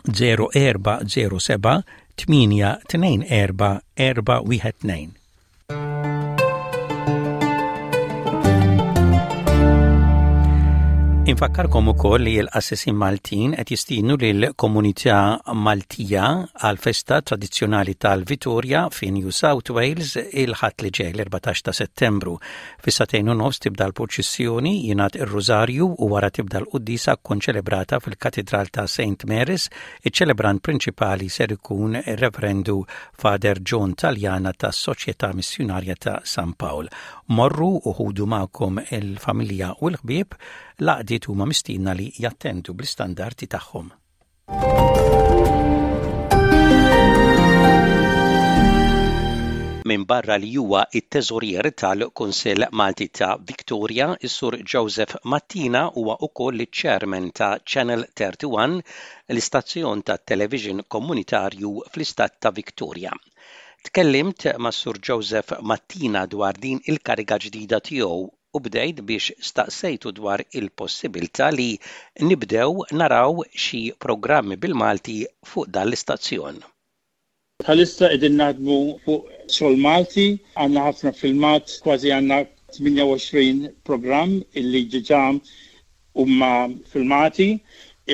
0407 824 412. Infakkarkom ukoll li l-qassisin Maltin qed jistiednu lill-komunità Maltija għal festa tradizzjonali tal-Vitorja fi New South Wales il-Ħadd li ġej l-14 ta' Settembru. Fis-sagħtejn u nofs tibda l-purċissjoni, jingħad ir-Rużarju u wara tibda l-quddiesa konċelebrata fil-Katidral ta' St. Mary's. Iċ-ċelebrant prinċipali ser ikun ir-Reverendu Father John Taljana tas-Soċjetà Missjunarja ta' San Pawl. Morru u ħudu magħkom il-familja u l-ħbieb, l-għaqdiet huma mistiedna li jattendu bl-istandardi tagħhom. Minbarra li huwa t-Teżorier tal-Kunsill Malti ta' Victoria, is-Sur Joseph Mattina huwa wkoll iċ-Chairman ta' Channel 31, l-istazzjon tat-television komunitarju fl-istat ta' Victoria. Tkellimt mas-Sur Joseph Mattina dwar din il-kariga ġdida tiegħu u bdejt biex staqsejtu dwar il-possibilità li nibdew naraw xi programmi bil-Malti fuq dan l-istazzjon. Bħalissa qegħdin naħdmu fuq xogħol Malti, għandna ħafna filmat, kważi għandna 28 programm illi ġiġa huma filmati,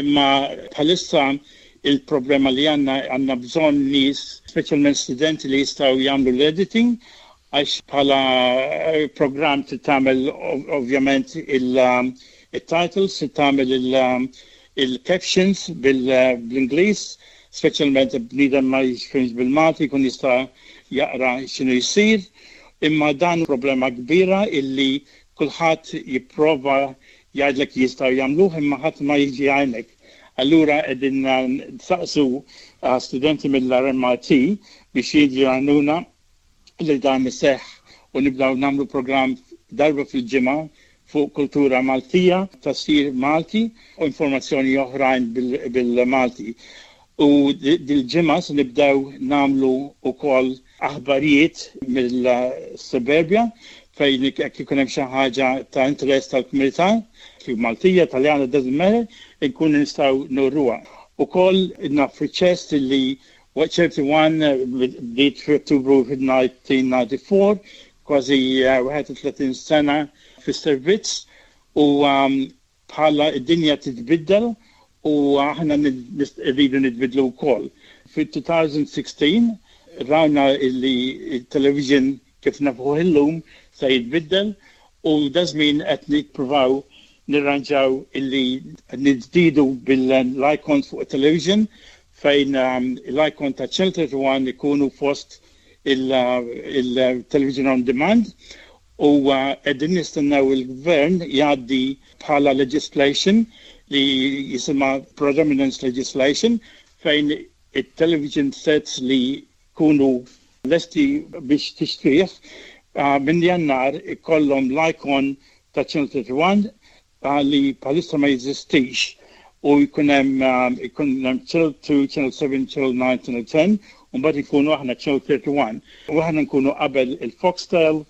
imma bħalissa il-problema li għandna għandna bżonn nies, speċjalment studenti li jistgħu jagħmlu l-editing għax bħala programm trid tagħmel ovvjament il-titles, trid tagħmel il-captions bl-Ingliż, speċjalment bniedem ma jifhimx bil-Malti jkun jista' jaqra x'inhu jsir. Imma dan problema kbira illi kulħadd jipprova jgħidlek jistgħu jagħmluh imma ħadd ma jiġi jgħinek. Allura qegħdin nsaqsu studenti mill-RMIT biex jiġu jgħinuna li dan iseħħ u nibdew nagħmlu programm darba fil-ġimgħa fuq kultura Maltija, tafsir Malti u informazzjoni oħrajn bil-Malti. U dil-ġimgħa se nibdew nagħmlu wkoll aħbarijiet mill-suburbia fejn jekk ikun hemm xi ħaġa ta' interess tal-komunità, kif Maltija, Taljana, doesn't matter, inkunu nistgħu nuruha. Ukoll naf ċest li Waqt ċerti one bdiet f'Ottubru 1994, kważi 31 sena fis-servizz u bħala d-dinja titbiddel u aħna rridu nitbiddlu wkoll. Fi-2016 rajna li t-television kif nafuh illum se jitbiddel u daż-żmien qed nippruvaw nirranġaw illi niżdiedu bil-icons fuq it-television fejn l-icon ta' Channel 31 ikunu fost il-television on demand u qegħdin nistennew il-Gvern jgħaddi bħala legislation li jisimha Predominance Legislation fejn it-television sets li jkunu lesti biex tixtrih minn Jannar ikollhom l-icon ta' Channel 31 li bħalissa ma jeżistix u jkun hemm ikun hemm Channel 2, Channel 7, Channel 9, Channel 10 u mbagħad inkunu aħna Channel 31 u aħna nkunu qabel il-Foxtel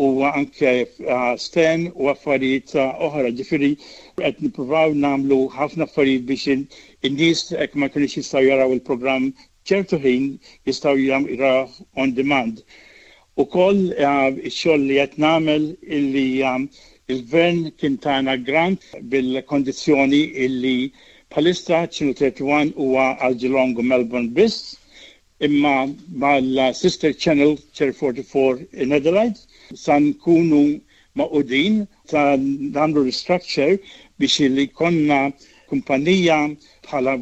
u anke Stan u affarijiet oħra. Ġifieri qed nippruvaw nagħmlu ħafna affarijiet biex in-nies hekk ma jkunux jistgħu jaraw il-programm ċertu ħin jistgħu jarawh on demand. Ukoll ix-xogħol li qed nagħmel illi il-Gvern kien tana grant bil-kondizzjoni illi bħalissa Channel 31 huwa għal Geelong u Melbourne biss, imma mal-sister channel Channel 44 in Adelaide sa nkunu. magħqudin ta' nagħmlu restructure biex li jkollna kumpanija bħala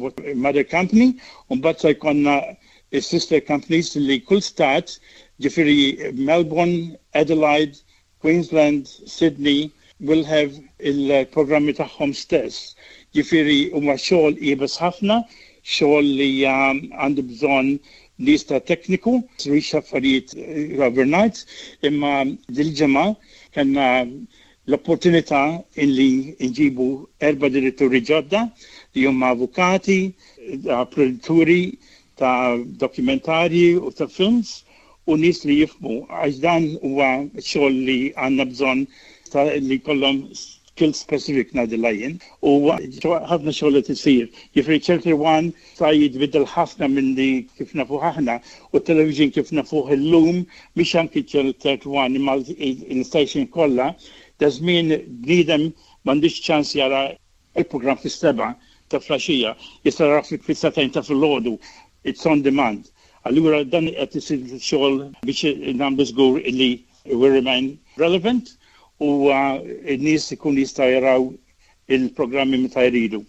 mother company u mbagħad se jkollna s-sister companies li kull stat, ġifieri Melbourne, Adelaide, Queensland, Sydney will have il-programmi tagħhom stess. Ġifieri huwa xogħol iebes ħafna, xogħol li għandu bżonn nies ta' tekniku, mhux affarijiet overnight, imma dil-ġimgħa kellna l-opportunità illi nġibu erba' diretturi ġodda li huma avukati, produtturi ta' dokumentarji u ta' films u nies li jifhmu għax dan huwa xogħol li għandna bżonn ta' li jkollhom skills specific ngħidilha jien u ħafna xogħol qed isir. Jiġifieri Channel One sa jitbiddel ħafna minn li kif nafuh aħna u t-television kif nafuh illum mhix anki Channel 31 imma l-station kollha da żmien bniedem m'għandux ċans jara Il-programm fis-sebgħa ta' flaxija jista' jarah fis-sagħtejn ta' filgħodu, it's on demand. Allura dan qed isir xogħol biex nagħmlu żgur illi we remain relevant u n-nies ikunu jistgħu jaraw il-programmi meta jridu.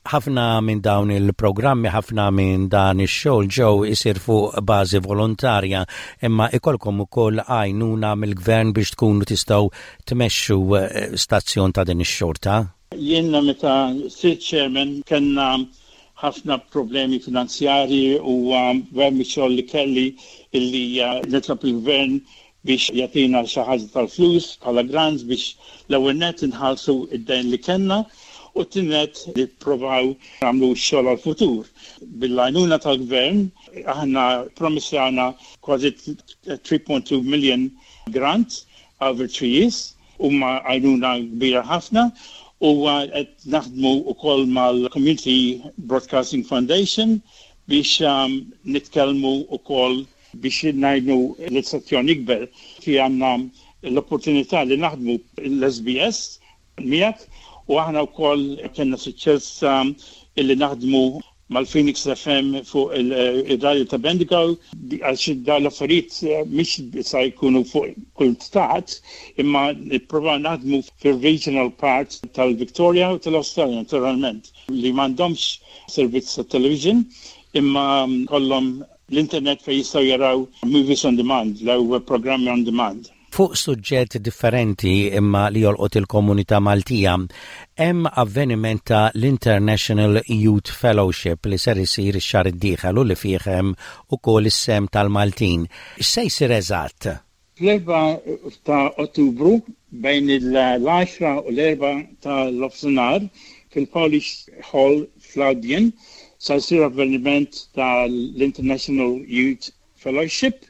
Ħafna minn dawn il-programmi, ħafna minn dan ix-xogħol ġew isir fuq bażi volontarja, imma ikollkom ukoll għajnuna mill-gvern biex tkunu tistgħu tmexxu stazzjon ta' din ix-xorta? Jien meta sirt chairman kellna ħafna problemi finanzjarji u gvern mix-xogħol li kelli illi nitlob il-gvern biex jagħtina xi ħaġa tal-flus bħala grants biex l-ewwel nett inħallsu d-dejn li kellna u t-tieni nett nipprovaw nagħmlu x-xogħol għall-futur. Bil-għajnuna tal-gvern aħna ppromissjana kważi 3.2 million grant over three years. Huma għajnuna kbira ħafna u qed naħdmu wkoll mal-Community Broadcasting Foundation biex nitkellmu wkoll biex ngħinu l-istazzjon jikber. Fi għandna l-opportunità li naħdmu l-SBS miegħek u aħna wkoll kellna suċċess illi naħdmu mal-Phoenix FM fuq ir-radju ta' Bendigo għax dawn l-affarijiet mhix sa jkunu fuq kull stat imma nipprovaw naħdmu fir-regional part tal-Victoria u tal-Awstralja naturalment li m'għandhomx servizz ta' television imma kollhom l-internet fejn jistgħu jaraw movies on demand, jew programmi on demand. Fuq suġġett differenti imma li jolqot il-komunità Maltija, hemm avveniment ta' l-International Youth Fellowship li ser isir ix-xahar id-dieħel u li fih hemm ukoll is-sehem tal-Maltin. X'se jsir eżatt? Fl-erbgħa ta' Ottubru bejn il-għaxra u l-erbgħa ta' nofsinhar fil-Polish Hall fl-Albion sa jsir avveniment tal-International Youth Fellowship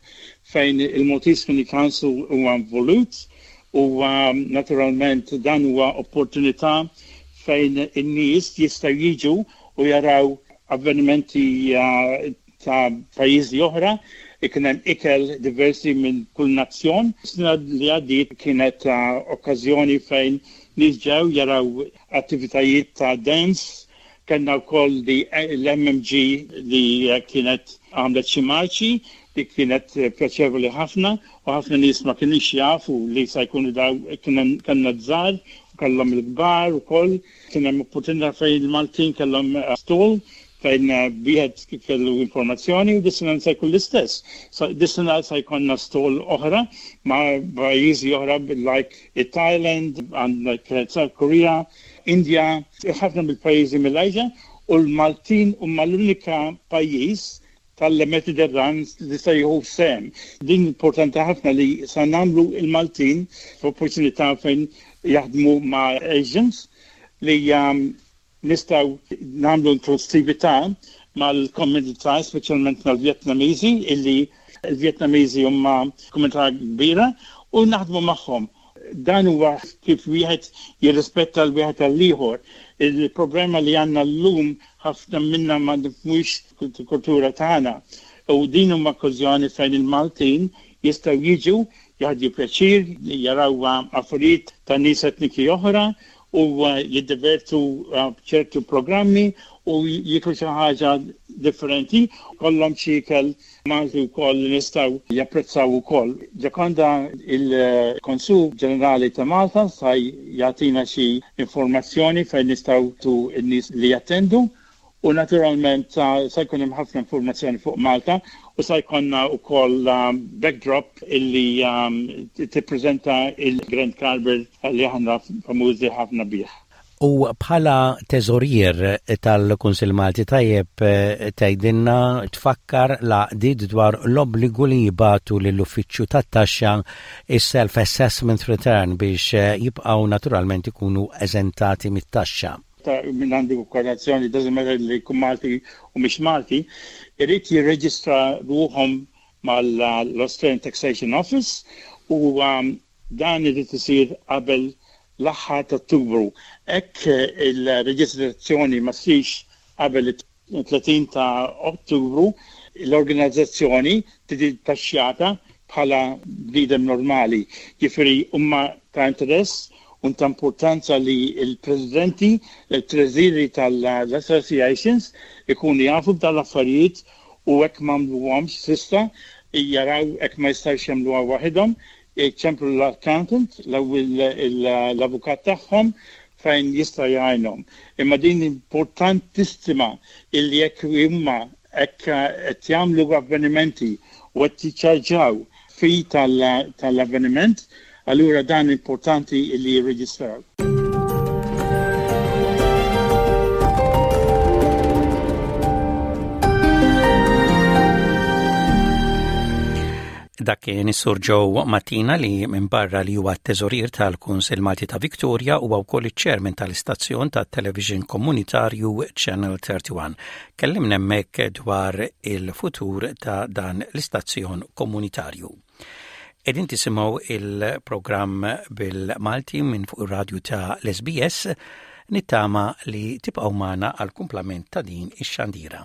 fejn il-Maltese Community Council huwa involut u naturalment dan huwa opportunità fejn in-nies jistgħu jiġu u jaraw avvenimenti ta' pajjiżi oħra, ikun hemm ikel diversi minn kull nazzjon. Sena li għaddiet kienet okkażjoni fejn nies ġew jaraw attivitajiet ta' dance, Kellna wkoll l-MMG li kienet għamlet xi marċi li kienet pjaċevoli ħafna u ħafna nies ma kinux jafu li sa jkunu daw kellna żgħar u kellhom il-kbar ukoll. Kien hemm opportunità fejn il-Maltin kellhom stall fejn wieħed kellu informazzjoni u dis-sena se jkun l-istess. Dis-sena se jkollna stall oħra ma' pajjiżi oħra like it-Thailand, għandek South Korea, India, ħafna mill-pajjiżi mill-Asia u l-Maltin huma l-unika pajjiż tal-Mediterran li se jieħu sehem. Din importanti ħafna li sa nagħmlu il-Maltin f'opportunità fejn jaħdmu ma' Asians li nistgħu nagħmlu inklusività mal-komunità, speċjalment mal-Vjetnamiżi, illi l-Vjetnamiżi huma komunità kbira u naħdmu magħhom. Dan huwa kif wieħed jirrispetta l-wieħed għall-ieħor. Il-problema li għandna llum ħafna minna ma nifhmux il-kultura tagħna. U din huma okkażjoni fejn il-Maltin jistgħu jiġu, jieħdu pjaċir, jaraw affarijiet ta' nies etniki oħra u jiddivertu b'ċertu programmi u jieklu xi ħaġa differenti, kollhom xi ikel Malti wkoll li nistgħu japprezzaw ukoll. Ġakonda il-Konsul Ġenerali ta' Malta sa jagħtina xi informazzjoni fejn nistgħu tu n-nies li jattendu u naturalment sa jkun hemm ħafna informazzjoni fuq Malta u sa jkollna wkoll backdrop illi tippreżenta il-Grand Carver li aħna famużi ħafna bih. U bħala teżorier tal-Kunsill Malti tajjeb tgħidilna tfakkar l-għaqdiet dwar l-obbligu li jibagħtu lill-Uffiċċju tat-Taxxa s-Self Assessment Return biex jibqgħu naturalment ikunu eżentati mit-taxxa. Ta' min għandu korrazzjoni, doesn't matter li jkun Malti u mhix Malti, irid jirreġistra ruħhom mal-Australian Taxation Office u dan irid isir qabel l-aħħar ta' Ottubru. Hekk il-reġistrazzjoni ma ssirx qabel it-30 ta' Ottubru, l-organizzazzjoni tiġi taxxjata bħala bniedem normali. Jiġifieri huma ta' interess u ta' importanza li l-presidenti, it-treżieri tal-associations ikunu jafu b'dawn l-affarijiet u hekk m'għamluhomx s'issa jaraw hekk ma jistgħux jagħmluha waħedhom, iċemplu l-accountant l-avukat tagħhom fejn jista' jgħinhom. Imma din importantissima illi jekk huma hekk qed jagħmlu avvenimenti u qed jiċċarġaw fee tal-avveniment, allura dan importanti illi jirreġistraw. Dak kien is-Sur Joe Mattina li minbarra li huwa t-teżorier tal-Kunsill Malti ta' Victoria huwa wkoll iċ-chairman tal-istazzjon tat-television komunitarju Channel 31. Kellimna hemmhekk dwar il-futur ta' dan l-istazzjon komunitarju. Qegħdin tisimgħu il-programm bil-Malti minn fuq ir-radju ta' l-SBS nittama li tibqgħu magħna għall-kumplament ta' din ix-xandira.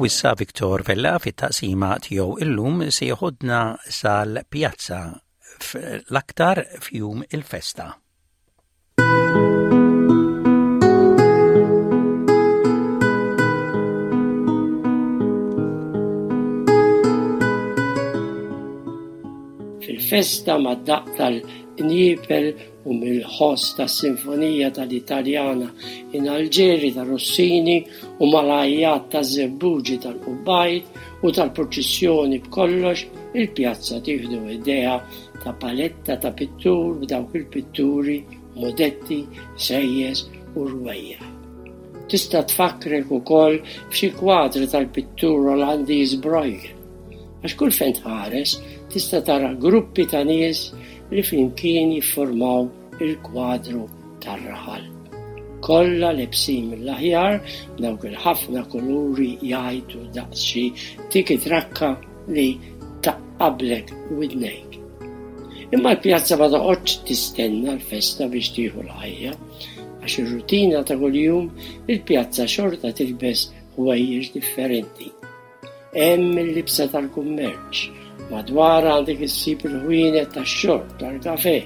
U issa Viktor Vella fit-taqsima tiegħu illum se jeħodna sal-pjazza l-aktar f'jum il-festa. Fil-festa mad-daqq tal-qniepel u mill-ħoss tas-sinfonija tal-Italjana in Alġeri ta' Rossini u mal-għajjat taż-żebbuġi tal-qubbajt u tal-purċissjoni b'kollox il-pjazza tieħdu idea ta' paletta ta' pittur b'dawk il-pitturi, modetti, sejjes u rwejjaħ. Tista' tfakkrek ukoll f'xi kwadri tal-pittur Olandiż Bruegel. Għax kull fejn tħares tista' tara gruppi ta' nies li flimkien jiffurmaw il-kwadru tar-raħal. Kollha lebsin mill-aħjar b'dawk il-ħafna kuluri jgħajtu daqs xi tiki-trakka li taqqablek widnejk. Imma l-pjazza ma toqgħodx tistenna l-festa biex tieħu l-ħajja, għax ir-rutina ta' kuljum il-pjazza xorta tilbes ħwejjeġ differenti. Hemm il-libsa tal-kummerċ. Madwarha għandek issib il-ħwienet tax-xorb, tal-kafè,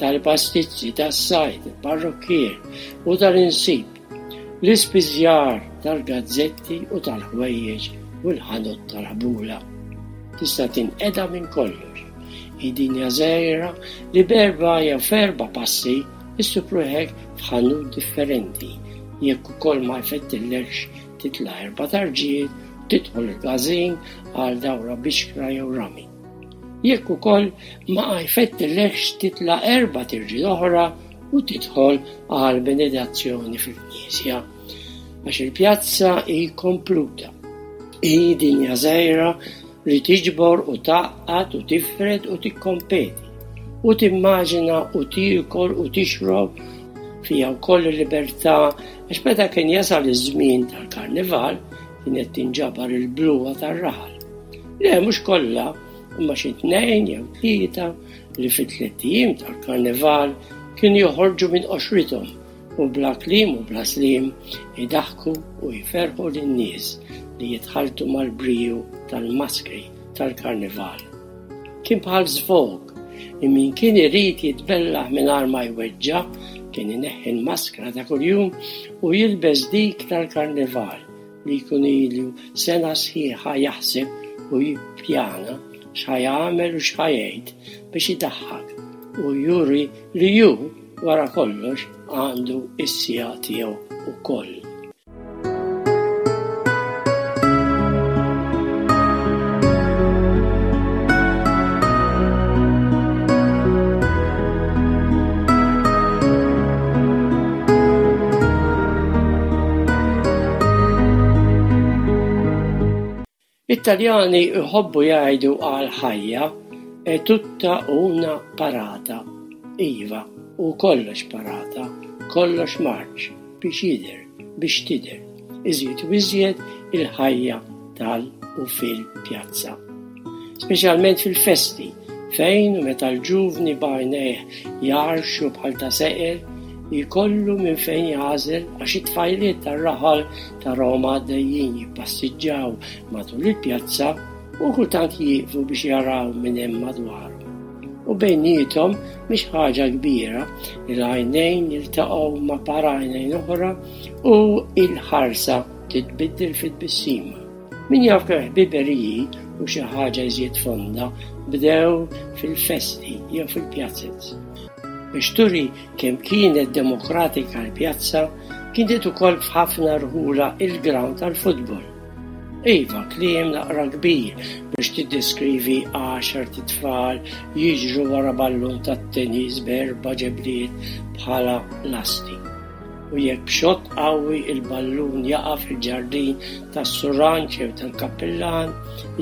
tal-pastizzi, tas-sajd, il-parrukkier u tal-insib, l-ispiżjar tal-gazzetti u tal-ħwejjeġ u l-ħanut tal-ħbula. Tista' tinqeda minn kollox. Hi dinja żgħira li b'erba' jew f'erba' passi issib ruħek f'ħanut differenti jekk ukoll ma jfettillekx Titla' erba' tarġijiet u tidħol il-każin għal dawra bixkra jew rami. Jekk ukoll ma jfettilekx titla' erba' tirġiet oħra u tidħol għal benedazzjoni fil-knisja. Għax il-pjazza hi kompluta. Hi dinja żgħira. li tiġbor u tgħaqqad u tifred u tikkompeti u timmaġina u tiekol u tixrob fiha wkoll il-libertà għax meta kien jasal iż-żmien tal-karnival kienet tinġabar il-bluha tar-raħal. Le mhux kollha, imma xi tnejn jew tlieta li fit-tlett ijiem tal-karnival kienu joħorġu minn qoxrithom u bla kliem u bla sliem idaħħku u jferrħu lin-nies li jitħalltu mal-briju tal-maskri tal-karnival. Kien bħal żvog li min kien irid jitbellaħ mingħajr ma jweġġa' kien ineħħi l-maskra ta' kuljum u jilbes dik tal-karnival li jkun ilu sena sħiħa jaħseb u jippjana x'ħa jagħmel u x'ħa jgħid biex idaħħak u juri li hu wara kollox għandu s-siegħa tiegħu wkoll. It-Taljani jħobbu jgħidu għall-ħajja è tutta una parata. Iva, hu kollox parata, kollox marċ, biex jidher, biex tidher, iżjed u iżjed il-ħajja tal u fil-pjazza. Speċjalment fil-festi, fejn u meta l-ġuvni b'għajnejh jgħarrxu bħal ta' seqer, jkollu minn fejn jagħżel għax it-tfajliet tar-raħal tarahom għaddejjin jippassiġġaw matul il-pjazza u kultant jieqfu biex jaraw min hemm madwarhom. U bejniethom mhix ħaġa kbira li l-għajnejn jiltaqgħu ma' par għajnejn oħra u l-ħarsa titbiddel fi tbissima. Min jaf kemm ħbiberiji u xi ħaġa iżjed fonda bdew fil-festi jew fil-pjazez. Biex turi kemm kienet demokratika l-pjazza, kienet ukoll f'ħafna rħula il-ground tal-futbol. Iva, kliem naqra kbir biex tiddeskrivi għaxart itfal jiġru wara ballun tat-tennis b'erba' ġebliet bħala lasti. U jekk b'xott qawwi l-ballun jaqa' fil-ġardin tas-suranġ jew tal-kappillan,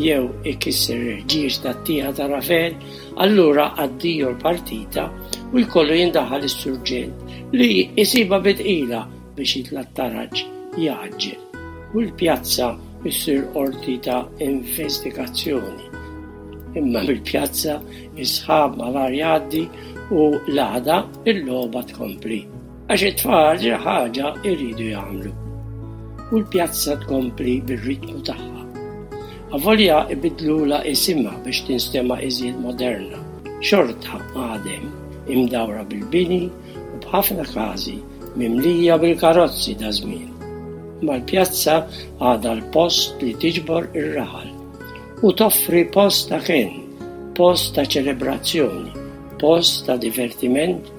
jew ikisser il-ħġieġ tat-tieqa ta' Rafel, allura addio l-partita u jkollu jindaħal is-surġent li jsibha bi tqila biex jitla' t-taraġ jgħaġġel u l-pjazza ssir qorti ta' investigazzjoni. Imma mill-pjazza is-sħab malajr jgħaddi u l-għada l-logħba tkompli. Għax it-tfal xi ħaġa jridu jagħmlu. U l-pjazza tkompli bir-ritmu tagħha. Avolja ibiddlulha isimha biex tinstema' iżjed moderna, xorta għad hemm, imdawra bil-bini u b'ħafna każi mimlija bil-karozzi daż-żmien. Imma l-pjazza għadha l-post li tiġbor ir-raħal u toffri post ta' kenn, post ta' ċelebrazzjoni, post ta' divertiment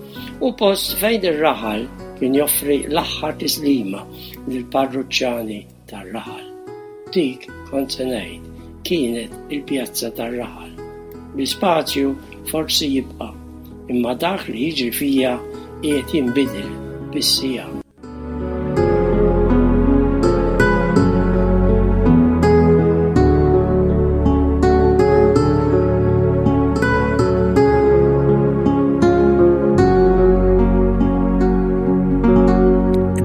u post fejn ir-raħal kien joffri l-aħħar tislima lill-parruċċani tar-raħal. Dik, kont se ngħid, kienet il-pjazza tar-raħal. L-ispazju forsi jibqa', imma dak li jiġri fiha qiegħed jinbidel bis-siegħa.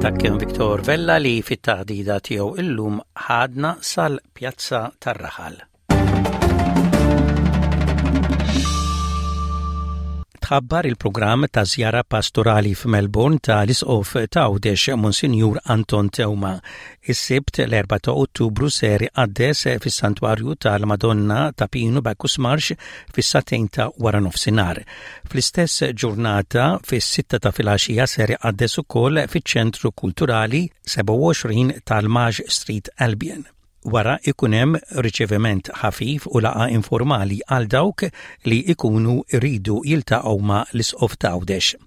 Dak kien Victor Vella li fit-taħdida tiegħu illum ħadna sal-Pjazza tar-Raħal. Tħabbar il-programm ta' żjara pastorali f'Melbourne ta' l-Isqof ta' Għawdex Monsinjur Anton Teuma. Is-Sibt l-4 ta' Ottubru ser iqaddes fis-Santwarju tal-Madonna ta' Pinu Bacchus Marsh fis-sagħtejn ta' wara nofsinhar. Fl-istess ġurnata fis-sitta ta' filgħaxija ser iqaddes ukoll fiċ-Ċentru Kulturali 27 tal-Maj Street Albion. Wara ikun hemm riċeviment ħafif u laqgħa informali għal dawk li ikunu jridu jiltaqgħu ma' l-Isqof t'Għawdex.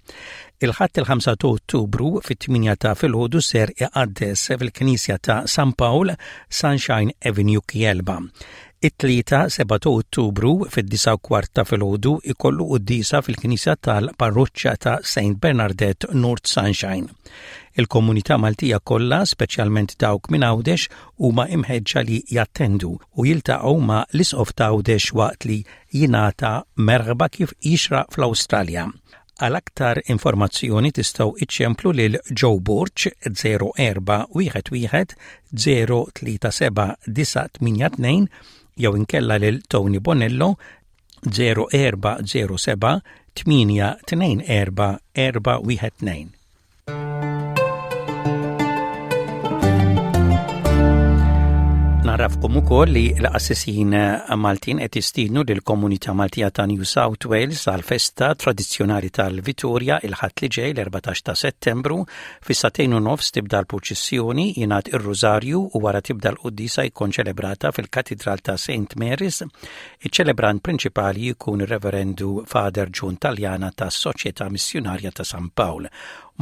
Il-Ħadd il-5 ta' Ottubru fit-8 ta' filgħodu ser iqaddes fil-Knisja ta' San Pawl, Sunshine Avenue Kielba. It-Tlieta, 7 ta' Ottubru, fid-disgħa u kwart ta' filgħodu ikollu quddiesa fil-Knisja tal-Parroċċa ta' Saint Bernardette, North Sunshine. Il-komunità Maltija kollha, speċjalment dawk minn Għawdex, huma imħeġġa li jattendu u jiltaqgħu ma' l-Isqof ta' Għawdex waqt li jingħata merħba kif jixraq fl-Awstralja. Għal aktar informazzjoni tistgħu iċċemplu lil Joe Borg 0411 037 982 jew inkella lil Tony Bonello 0407 824 412. Narafkom ukoll li l-qassisin Maltin qed jistiednu lill-komunità Maltija ta' New South Wales għal festa tradizzjonali tal-Vitorja il-Ħadd li ġej l-14 ta' Settembru fis-sagħtejn u nofs tibda l-purċissjoni, jingħad ir-Rużarju u wara tibda l-quddiesa jkun ċelebrata fil-Katidral ta' St Mary's. Iċ-ċelebrant prinċipali jkun ir-Reverendu Father John Taljana tas-Soċjetà Missjunarja ta' San Pawl.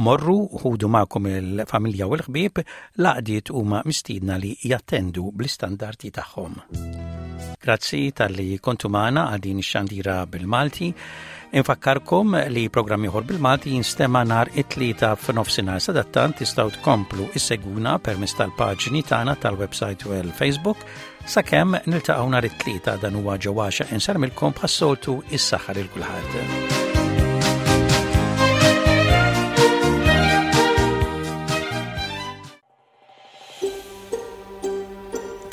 Morru u ħudu magħkom il-familja u l-ħbieb, l-għaqdiet huma mistiedna li jattendu bl-istandardi tagħhom. Grazzi talli kontu magħna għal din ix-xandira bil-Malti. Infakkarkom li programm ieħor bil-Malti jinstema' nhar it-tlieta f'nofsinhar sadattant tistgħu tkomplu issegwuna permezz tal-paġni tagħna tal-website u l-Facebook Sakemm niltaqgħu nhar it-Tlieta dan huwa ġewwaxa insarmilkom bħas-soltu is-saħħa lil kulħadd.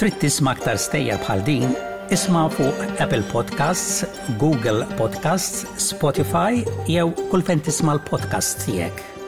Trid tisma' aktar stejjer bħal din? Isma' fuq Apple Podcasts, Google Podcasts, Spotify jew kull fejn tisma' l-podcasts tiegħek.